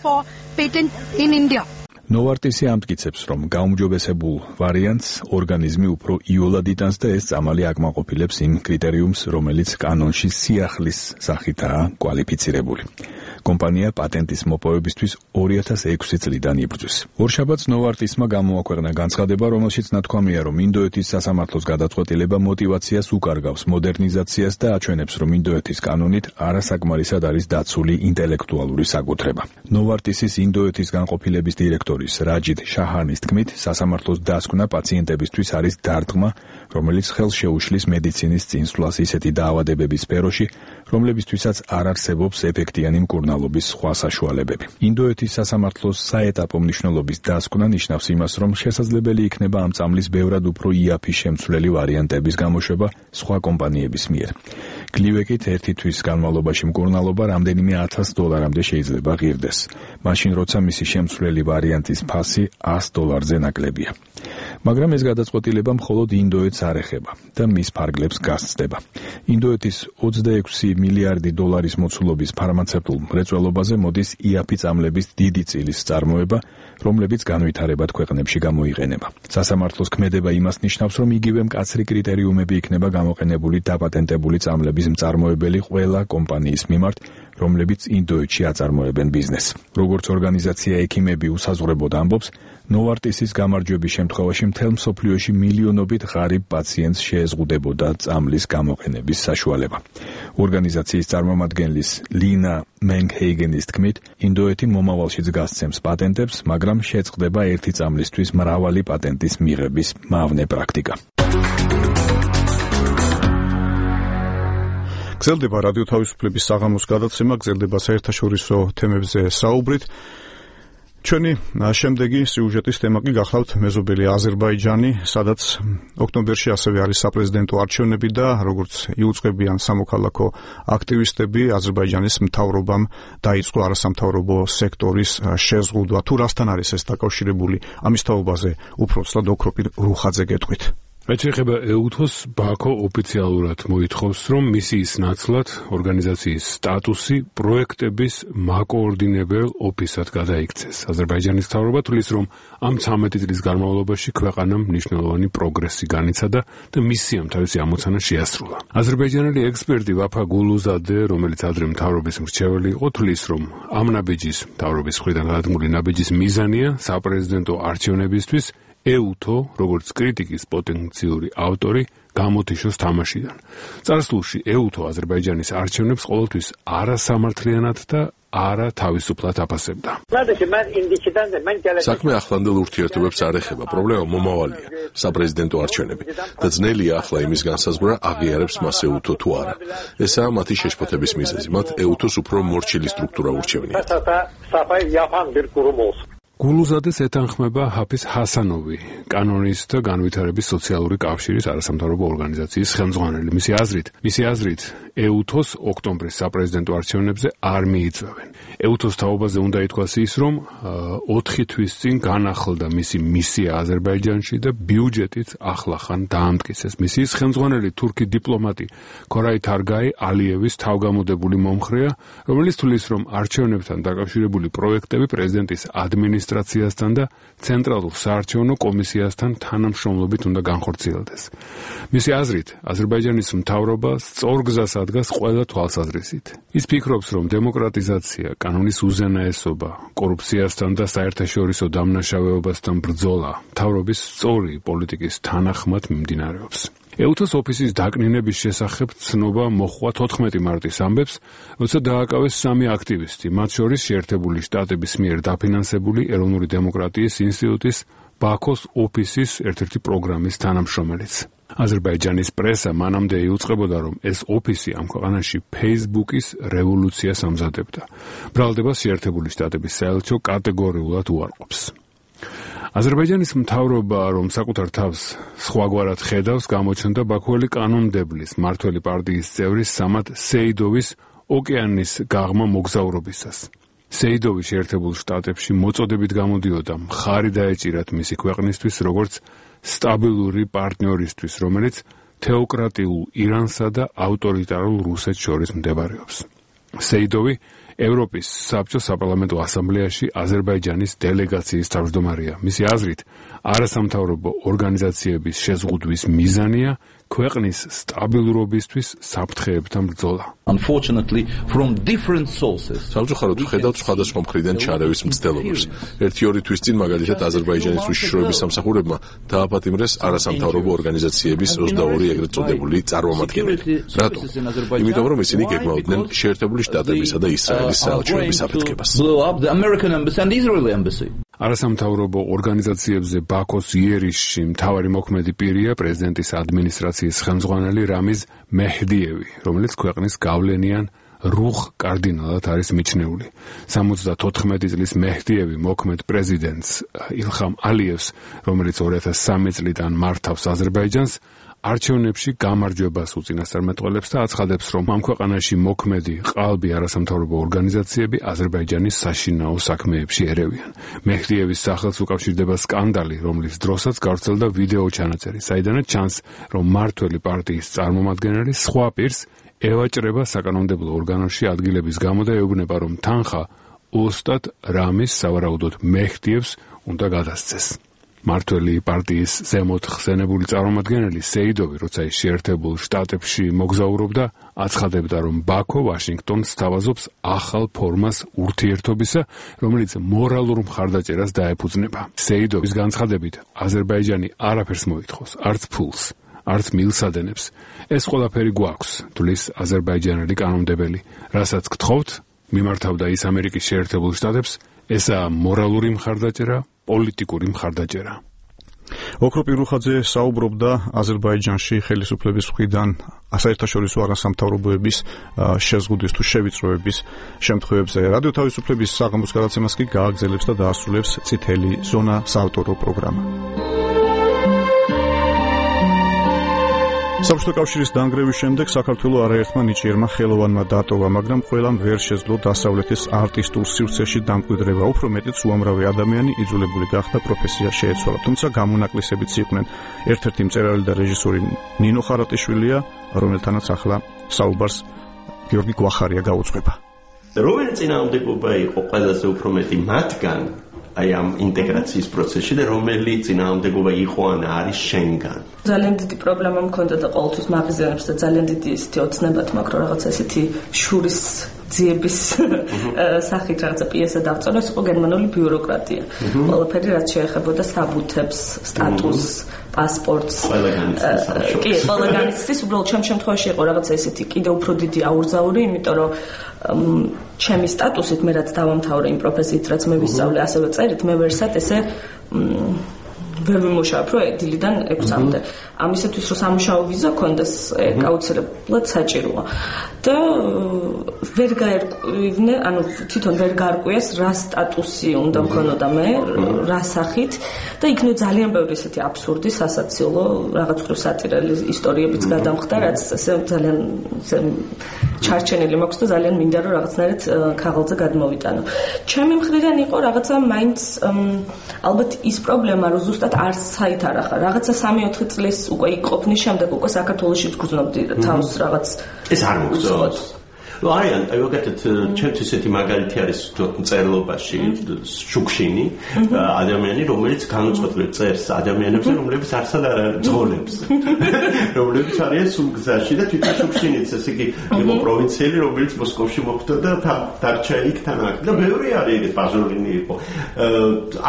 For patent in India. ნოვარტისი ამტკიცებს, რომ გაუმჯობესებულ ვარიანტს ორგანიზმი უფრო იოლად იტანს და ეს წამალი აკმაყოფილებს იმ კრიტერიუმს, რომელიც კანონში სიახლის სახითაა კვალიფიცირებული. კომპანია პატენტის მოპოვებისთვის 2006 წლიდან იბრძვის. ორშაბათს ნოვარტისმა გამოაქვეყნა განცხადება, რომელშიც ნათქვამია, რომ ინდოეთის სასამართლოს გადაწყვეტილება მოტივაციას უკარგავს მოდერნიზაციას და აჩვენებს, რომ ინდოეთის კანონით არასაკმარისად არის დაცული ინტელექტუალური საკუთრება. ნოვარტისის ინდოეთის განყოფილების დირექტორის რაჯით შაჰანის თქმით, სასამართლოს დასკვნა პაციენტებისთვის არის დარტყმა, რომელიც ხელს შეუშლის მედიცინის წინსვლას ისეთი დაავადებების სფეროში, რომლებისთვისაც არ არსებობს ეფექტიანი მკურნალობის სხვა საშუალებები. ინდოეთის სასამართლოს საეტაპო მნიშვნელობის დასკვნა ნიშნავს იმას, რომ შესაძლებელი იქნება ამ წამლის ბევრად უფრო იაფი შემცვლელი ვარიანტების გამოშვება სხვა კომპანიების მიერ. გლივეკით ერთი თვის განმავლობაში მკურნალობა რამდენიმე $1000-მდე შეიძლება ღირდეს, მაშინ როცა მისი შემცვლელი ვარიანტის ფასი $100-ზე ნაკლებია. მაგრამ ეს გადაწყვეტილება მხოლოდ ინდოეთს არ ეხება და მის ფარგლებს გასცდება. ინდოეთის $26 მილიარდი მოცულობის ფარმაცევტულ მრეწველობაზე მოდის იაფი წამლების დიდი წილის წარმოება, რომლებიც განვითარებად ქვეყნებში გამოიყენება. სასამართლოს ქმედება იმას ნიშნავს, რომ იგივე მკაცრი კრიტერიუმები იქნება გამოყენებული დაპატენტებული წამლების მწარმოებელი ყველა კომპანიის მიმართ, რომლებიც ინდოეთში აწარმოებენ ბიზნესს. როგორც ორგანიზაცია ექიმები უსაზღვრებოდ ამბობს, ნოვარტისის გამარჯვების შემთხვევაში მთელ მსოფლიოში მილიონობით ღარიბ პაციენტს შეეზღუდებოდა წამლის გამოყენების საშუალება. ორგანიზაციის წარმომადგენლის ლინა მენგჰეიგენის თქმით, ინდოეთი მომავალშიც გასცემს პატენტებს, მაგრამ შეწყდება ერთი წამლისთვის მრავალი პატენტის მიღების მავნე პრაქტიკა. გრძელდება რადიო თავისუფლების საღამოს გადაცემა, გრძელდება საერთაშორისო თემებზე საუბრით. ჩვენი შემდეგი სიუჟეტის თემა კი გახლავთ მეზობელი აზერბაიჯანი, სადაც ოქტომბერში ასევე არის საპრეზიდენტო არჩევნები და როგორც იუწყებიან სამოქალაქო აქტივისტები, აზერბაიჯანის მთავრობამ დაიწყო არასამთავრობო სექტორის შეზღუდვა. თუ რასთან არის ეს დაკავშირებული? ამის თაობაზე უფრო ცუდად ოქროპირ რუხაძე გეტყვით. რაც შეეხება EUTHO-ს, ბაქო ოფიციალურად მოითხოვს, რომ მისიის ნაცვლად ორგანიზაციის სტატუსი პროექტების მაკოორდინებელ ოფისად გადაიქცეს. აზერბაიჯანის მთავრობა თვლის, რომ ამ 13 წლის განმავლობაში ქვეყანამ მნიშვნელოვანი პროგრესი განიცადა და მისიამ თავისი ამოცანა შეასრულა. აზერბაიჯანელი ექსპერტი ვაფა გულუზადე, რომელიც ადრე მთავრობის მრჩეველი იყო, თვლის, რომ ამ ნაბიჯის მთავრობის მხრიდან გადადგმული ნაბიჯის მიზანია საპრეზიდენტო არჩევნებისთვის EUTHO, როგორც კრიტიკის პოტენციური ავტორი, გამოთიშოს თამაშიდან. წარსულში EUTHO აზერბაიჯანის არჩევნებს ყოველთვის არასამართლიანად და არა თავისუფლად აფასებდა. საქმე ახლანდელ ურთიერთობებს არ ეხება, პრობლემა მომავალია, საპრეზიდენტო არჩევნები და ძნელია ახლა იმის განსაზღვრა, აღიარებს მას EUTHO თუ არა. ესაა მათი შეშფოთების მიზეზი, მათ EUTHO-ს უფრო მორჩილი სტრუქტურა ურჩევნიათ. გულუზადეს ეთანხმება ჰაფიზ ჰასანოვი, კანონისტთა განვითარების სოციალური კავშირის არასამთავრობო ორგანიზაციის ხელმძღვანელი. მისი აზრით, EUTHO-ს ოქტომბრის საპრეზიდენტო არჩევნებზე არ მიიწვევენ. EUTHO-ს თაობაზე უნდა ითქვას ის, რომ 4 თვის წინ განახლდა მისი მისია აზერბაიჯანში და ბიუჯეტით ახლახან დაამტკიცეს. მისიის ხელმძღვანელი თურქი დიპლომატი ქორაი თარგაი ალიევის თავგამოდებული მომხრეა, რომელიც თვლის, რომ არჩევნებთან დაკავშირებული პროექტები პრეზიდენტის ადმინისტრაციასთან და ცენტრალურ საარჩევნო კომისიასთან თანამშრომლობით უნდა განხორციელდეს. მისი აზრით, აზერბაიჯანის მთავრობა სწორ გზას ადგას ყველა თვალსაზრისით. ის ფიქრობს, რომ დემოკრატიზაცია, კანონის უზენაესობა, კორუფციასთან და საერთაშორისო დამნაშავეობასთან ბრძოლა მთავრობის სწორი პოლიტიკის თანახმად მიმდინარეობს. EUTHO-s ოფისის დაკნინების შესახებ ცნობა მოჰყვა 14 მარტის ამბებს, როცა დააკავეს 3 აქტივისტი, მათ შორის შეერთებული შტატების მიერ დაფინანსებული ეროვნული დემოკრატიის ინსტიტუტის ბაქოს ოფისის ერთ-ერთი პროგრამის თანამშრომელიც. აზერბაიჯანის პრესა მანამდე იუწყებოდა, რომ ეს ოფისი ამ ქვეყანაში Facebook-ის რევოლუციას ამზადებდა. ბრალდებას შეერთებული შტატების საელჩო კატეგორიულად უარყოფს. აზერბაიჯანის მთავრობა, რომ საკუთარ თავს სხვაგვარად ხედავს, გამოჩნდა ბაქოელი კანონმდებლის მმართველი პარტიის წევრის სამად სეიდოვის ოკეანის გაღმა მოგზაურობისას. სეიდოვი შეერთებულ შტატებში მოწოდებით გამოდიოდა მხარი დაეჭირათ მისი ქვეყნისთვის, როგორც სტაბილური პარტნიორისთვის, რომელიც თეოკრატიულ ირანსა და ავტორიტარულ რუსეთს შორის მდებარეობს. სეიდოვი ევროპის საბჭოს საპარლამენტო ასამბლეაში აზერბაიჯანის დელეგაციის თავმჯდომარეა. მისი აზრით, არასამთავრობო ორგანიზაციების შეზღუდვის მიზანია ქვეყნის სტაბილურობისთვის საფრთხეებთან ბრძოლა. Unfortunately, from different sources. სამწუხაროდ ვხედავთ სხვადასხვა მხრიდან ჩარევის მცდელობებს. 1-2 თვის წინ მაგალითად აზერბაიჯანის უშიშროების სამსახურებმა დააპატიმრეს არასამთავრობო ორგანიზაციების 22 ეგრეთ წოდებული წარმომადგენელი. რატო? იმიტომ რომ ისინი გეგმავდნენ შეერთებული შტატებისა და ისრაელის საელჩოების აფეთქებას. არასამთავრობო ორგანიზაციებზე ბაქოს იერიშში მთავარი მოქმედი პირია პრეზიდენტის ადმინისტრაციის ხელმძღვანელი რამიზ მეჰდიევი, რომელიც ქვეყნის გავლენიან რუხ კარდინალად არის მიჩნეული. 74 წლის მეჰდიევი მოქმედ პრეზიდენტს ილხამ ალიევს, რომელიც 2003 წლიდან მართავს აზერბაიჯანს, არჩევნებში გამარჯვებას უწინასწარმეტყველებს და აცხადებს, რომ ამ ქვეყანაში მოქმედი ყალბი არასამთავრობო ორგანიზაციები აზერბაიჯანის საშინაო საქმეებში ერევიან. მეჰდიევის სახელს უკავშირდება სკანდალი, რომლის დროსაც გავრცელდა ვიდეო ჩანაწერი, საიდანაც ჩანს, რომ მმართველი პარტიის წარმომადგენელი სხვა პირს ევაჭრება საკანონმდებლო ორგანოში ადგილების გამო და ეუბნება, რომ თანხა ოსტატ რამის სავარაუდოდ მეჰდიევს უნდა გადასცეს. მმართველი პარტიის ზემოთ ხსენებული წარმომადგენელი სეიდოვი, როცა ის შეერთებულ შტატებში მოგზაურობდა, აცხადებდა, რომ ბაქო ვაშინგტონს სთავაზობს ახალ ფორმას ურთიერთობისა, რომელიც მორალურ მხარდაჭერას დაეფუძნება. სეიდოვის განცხადებით, აზერბაიჯანი არაფერს მოითხოვს, არც ფულს, არც მილსადენებს. ეს ყველაფერი გვაქვს, თulis აზერბაიჯანელი კანონმდებელი. რასაც გთხოვთ, მიმართავდა ის ამერიკის შეერთებულ შტატებს, ესაა მორალური მხარდაჭერა, პოლიტიკური მხარდაჭერა. ოქრო პირუხაძე საუბრობდა აზერბაიჯანში ხელისუფლების მხრიდან საერთაშორისო არასამთავრობოების შეზღუდვის თუ შევიწროების შემთხვევებზე. რადიო თავისუფლების საღამოს გადაცემას კი გააგრძელებს და დაასრულებს წითელი ზონა საავტორო პროგრამა. საბჭოთა კავშირის დანგრევის შემდეგ საქართველოს არაერთმა ნიჭიერმა ხელოვანმა დატოვა, მაგრამ ყველამ ვერ შეძლო დასავლეთის არტისტულ სივრცეში დამკვიდრება. უფრო მეტიც უამრავი ადამიანი იძულებული გახდა პროფესია შეეცვალა. თუმცა გამონაკლისებიც იყვნენ. ერთ-ერთი მწერალი და რეჟისორი ნინო ხარატიშვილია, რომელთანაც ახლა საუბარს გიორგი გვახარია გაუძღვება. რომელი წინააღმდეგობა იყო ყველაზე უფრო მეტი მათგან აი ამ ინტეგრაციის პროცესში და რომელი წინააღმდეგობა იყო ან არის შენგან? ძალიან დიდი პრობლემა მქონდა და ყოველთვის მაღიზიანებს და ძალიან დიდი ისეთი ოცნებათ მაქვს, რომ რაღაცა ესეთი შურის ძიების სახით რაღაცა პიესა დავწეროს, იყო გერმანული ბიუროკრატია. ყველაფერი რაც შეეხებოდა საბუთებს, სტატუსს, პასპორტს. კი, ყველა განიცდის, უბრალოდ ჩემ შემთხვევაში იყო რაღაცა ესეთი კიდევ უფრო დიდი აურზაური, იმიტომ რომ ჩემი სტატუსით მე რაც დავამთავრე იმ პროფესიით, რაც მე ვისწავლე, ასევე წერით, მე ვერსად ესე ვერ ვიმუშავებ, რომ დილიდან 6-მდე. ამისათვის რომ სამუშაო ვიზა კონდეს, აუცილებლად საჭიროა. და ვერ გაერკვივნე, ანუ თვითონ ვერ გარკვიეს რა სტატუსი უნდა მქონოდა მე, რა სახით და იქნებ ძალიან ბევრი ესეთი აბსურდი, სასაციოლო, რაღაც ხრივ სატირალი ისტორიებიც გადამხდა, რაც ესე ძალიან ჩარჩენილი მაქვს და ძალიან მინდა რომ რაღაცნაირად ქაღალდზე გადმოვიტანო. ჩემი მხრიდან იყო რაღაცა მაინც ალბათ ის პრობლემა, რომ ზუსტად არ საითარახა. რაღაცა 3-4 წლის უკვე იყოფნის შემდეგ უკვე საქართველოში ვგრძნობდი თავს რაღაც ეს არ მოგწონს. ну არიან აი ვაკეთეთ ჩემთვის ესეთი მაგალითი არის მწერლობაში შუქშინი ადამიანი რომელიც განუწყვეტლივ წერს ადამიანებზე რომლებიც არსად არ ძღოლებს რომლებიც არიან სულ გზაში და თვითონ შუქშინიც ესე იგი იყო პროვინციელი რომელიც მოსკოვში მოხვდა და დარჩა იქ თან აქ და ბევრი არის ეგეთ ბაზოლინი იყო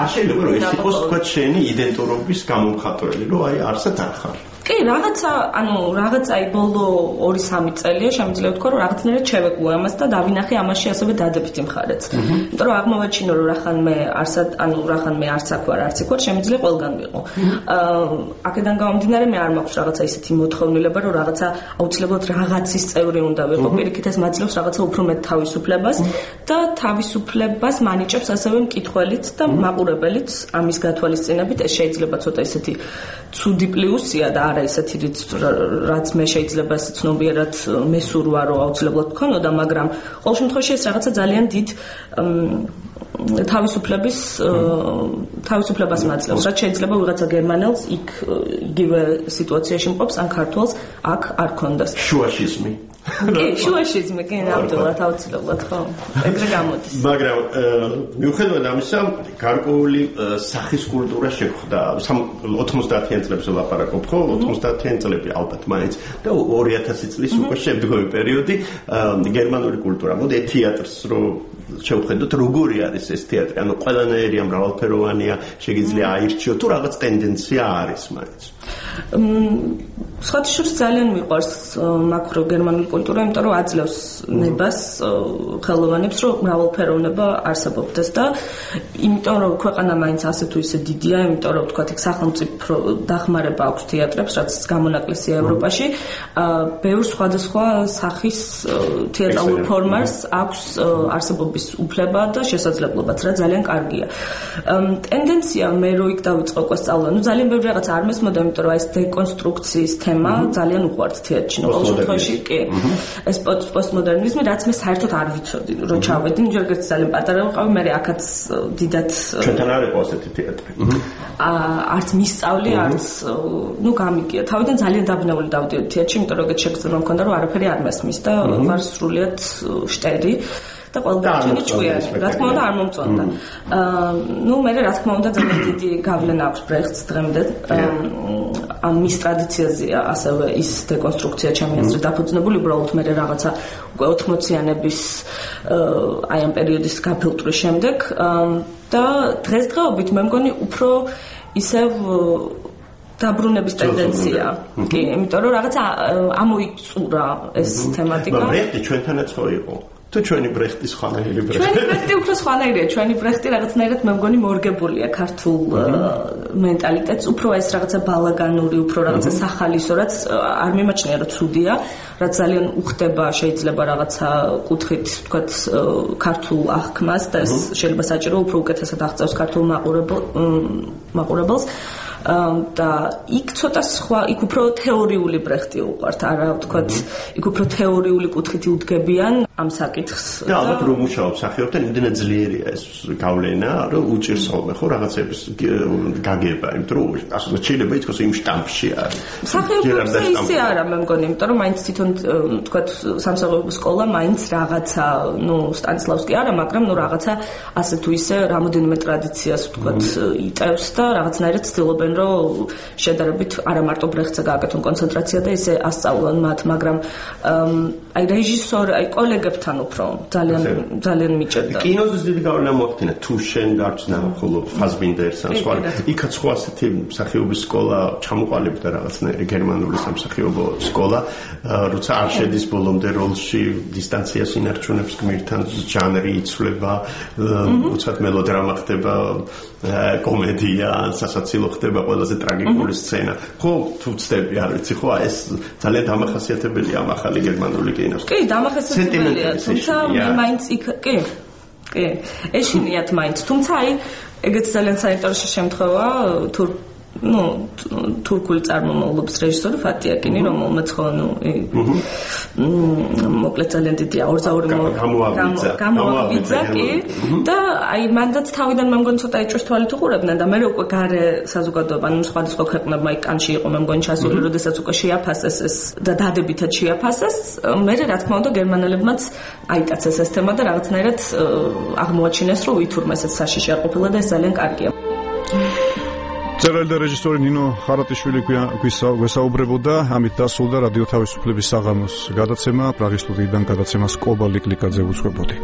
არ შეიძლება რომ ეს იყოს თქვა შენი იდენტურობის გამომხატველი რომ აი არსად არ ხარ კი, რაღაცა, ანუ რაღაცა აი ბოლო 2-3 წელია შემიძლია ვთქვა, რომ რაღაცნაირად შევეგუო ამას და დავინახე ამაში ასევე დადებითი მხარეც. იმიტომ რომ აღმოვაჩინო, რომ რახანმე არც აქ ვარ, არც იქ ვარ, შემიძლია ყველგან ვიყო. აქედან გამომდინარე მე არ მაქვს რაღაცა ისეთი მოთხოვნილება, რომ რაღაცა აუცილებლად რაღაცის წევრი უნდა ვიყო. პირიქით ეს მაძლევს რაღაცა უფრო მეტ თავისუფლებას და თავისუფლებას მანიჭებს ასევე მკითხველიც და მაყურებელიც ამის გათვალისწინებით. ეს შეიძლება ცოტა ისეთი ცუდი პლუსია და არა ისეთი რაც მე შეიძლება ესე ცნობიერად მესურვა რომ აუცილებლად გქონოდა, მაგრამ ყოველ შემთხვევაში ეს რაღაცა ძალიან დიდ თავისუფლებას მაძლევს. რაც შეიძლება ვიღაცა გერმანელს იქ იგივე სიტუაციაში მყოფს ან ქართველს აქ არ ქონდეს. შუაშიზმი. კი, შუაშიზმი, კი, ნამდვილად აუცილებლად ხო. ეგრე გამოდის. მაგრამ მიუხედავად ამისა, გარკვეული სახის კულტურა შეხვდა. 90-იან წლებში ვლაპარაკობ, ხო? 90-იან წლები ალბათ მაინც და 2000 წლის უკვე შემდგომი პერიოდი გერმანული კულტურა. მოდი თეატრს რო შევხედოთ, როგორი არის ეს თეატრი? ანუ ყველანაირია, მრავალფეროვანია, შეიძლება აირჩიო თუ რაღაც ტენდენცია არის მაინც. სხვათაშორის ძალიან მიყვარს მაქრო გერმანული კულტურა, იმიტომ რომ აძლევს ნებას ხელოვანებს, რომ მრავალფეროვნება არსებობდეს და იმიტომ რომ ქვეყანა მაინც ასე თუ ისე დიდია, იმიტომ რომ თქვათ იქ სახელმწიფო დახმარება აქვს თეატრებს, რაც გამონაკლისია ევროპაში, ბევრ სხვადასხვა სახის თეატრალურ ფორმას აქვს არსებობის უფლება და შესაძლებლობაც, რა ძალიან კარგია. ტენდენცია მე რო იქ დავიწყო უკვე სწავლა, ну ძალიან ბევრი რაღაც არ მესმოდა, იმიტომ რომ ეს დეკონსტრუქციის თემა ძალიან უყვართ თეატრში. ყოველ შემთხვევაში კი ეს პოსტმოდერნიზმი, რაც მე საერთოდ არ ვიცოდი, რომ ჩავედი, ჯერგერც ძალიან პატარა ვიყავი, მე აქაც დიდად ჩვენთან არ იყო ასეთი თეატრი. არც მისწავლი, არც გამიგია. თავიდან ძალიან დაბნეული დავდიოდი თეატრში, იმიტომ რომ ეგეთ შეგრძნება მქონდა, რომ არაფერი არ მესმის და ვარ სრულიად შტერი. და ყველგან ჭუიარი, რა თქმა უნდა არ მომწონდა. მე რა თქმა უნდა ძალიან დიდი გავლენა აქვს ბრეხტს დღემდე. ამ მის ტრადიციაზეა ასევე ის დეკონსტრუქცია ჩემი აზრით დაფუძნებული, უბრალოდ მე რაღაცა უკვე 80-იანების აი ამ პერიოდის გაფილტვრის შემდეგ და დღესდღეობით მე მგონი უფრო ისევ დაბრუნების ტენდენცია. კი, იმიტომ რომ რაღაცა ამოიწურა ეს თემატიკა. ბრეხტი ჩვენთანაც ხო იყო? თუ ჩვენი ბრეხტის ხანაირი ბრეხტი. ჩვენი ბრეხტი უფრო სხვანაირია, ჩვენი ბრეხტი რაღაცნაირად მე მგონი მორგებულია ქართულ მენტალიტეტს, უფრო ეს რაღაცა ბალაგანური, უფრო რაღაცა სახალისო, რაც არ მიმაჩნია რომ ცუდია, რაც ძალიან უხდება შეიძლება რაღაცა კუთხით, თქვათ, ქართულ აღქმას და ეს შეიძლება საჭირო უფრო უკეთესად აღწევს ქართულ მაყურებელს. და იქ ცოტა სხვა, იქ უფრო თეორიული ბრეხტი უყვართ, არა ვთქვათ, იქ უფრო თეორიული კუთხით უდგებიან ამ საკითხს. და ალბათ რომ მუშაობ სახეობთან იმდენად ძლიერია ეს გავლენა, რომ უჭირს ხოლმე ხო რაღაცების გაგება, იმიტომ რომ ასე შეიძლება ითქვას იმ შტამპში არის. სახეობებზე ისე არა, მე მგონი, იმიტომ რომ მაინც თვითონ ვთქვათ სამსახურებო სკოლა მაინც რაღაცა, სტანისლავსკი არა, მაგრამ რაღაცა ასე თუ ისე რამოდენიმე ტრადიციას ვთქვათ იტევს და რაღაცნაირად ცდილობენ რომ შედარებით არა მარტო ბრეხტზე გააკეთონ კონცენტრაცია და ისე ასწავლონ მათ, მაგრამ აი რეჟისორ, აი კოლეგებთან უფრო ძალიან მიჭერდა. კინოზე დიდი გავლენა მოახდინა თუ შენ გარჩნა ხოლო ფაზბინდერს ან სხვა. იქაც ხო ასეთი მსახიობის სკოლა ჩამოყალიბდა რაღაცნაირი გერმანული სამსახიობო სკოლა, როცა არ შედის ბოლომდე როლში, დისტანციას ინარჩუნებს გმირთან, ჟანრი იცვლება, უცად მელოდრამა ხდება, კომედია, სასაცილო ხდება ყველაზე ტრაგიკული სცენა. ხო, თუ ვცდები, არ ვიცი, ხო, ეს ძალიან დამახასიათებელია ამ ახალი გერმანული კინოს. კი, დამახასიათებელია, თუმცა მე მაინც იქ, კი, ეშინიათ მაინც, თუმცა აი, ეგეც ძალიან საინტერესო შემთხვევა, თურქული წარმომავლობის რეჟისორი ფატიაკინი, რომელმაც ხო მოკლედ ძალიან დიდია გამოავიძა კი და აი მანდაც თავიდან მე მგონი ცოტა ეჭვს თვალით უყურებდნენ და მე უკვე გარე საზოგადოება, სხვადასხვა ქვეყნებმა იქ კანში იყო მე მგონი ჩასული, როდესაც უკვე შეაფასეს ეს და დადებითად შეაფასეს, მე რა თქმა უნდა გერმანელებმაც აიტაცეს ეს თემა და რაღაცნაირად აღმოაჩინეს, რომ ვითურმა ესეც საშიში არ ყოფილა და ეს ძალიან კარგია. მწერალი და რეჟისორი ნინო ხარატიშვილი გვესაუბრებოდა, ამით დასრულდა რადიო თავისუფლების საღამოს გადაცემა, პრაღის სტუდიიდან გადაცემას კობა ლიკლიკაძე უძღვებოდი.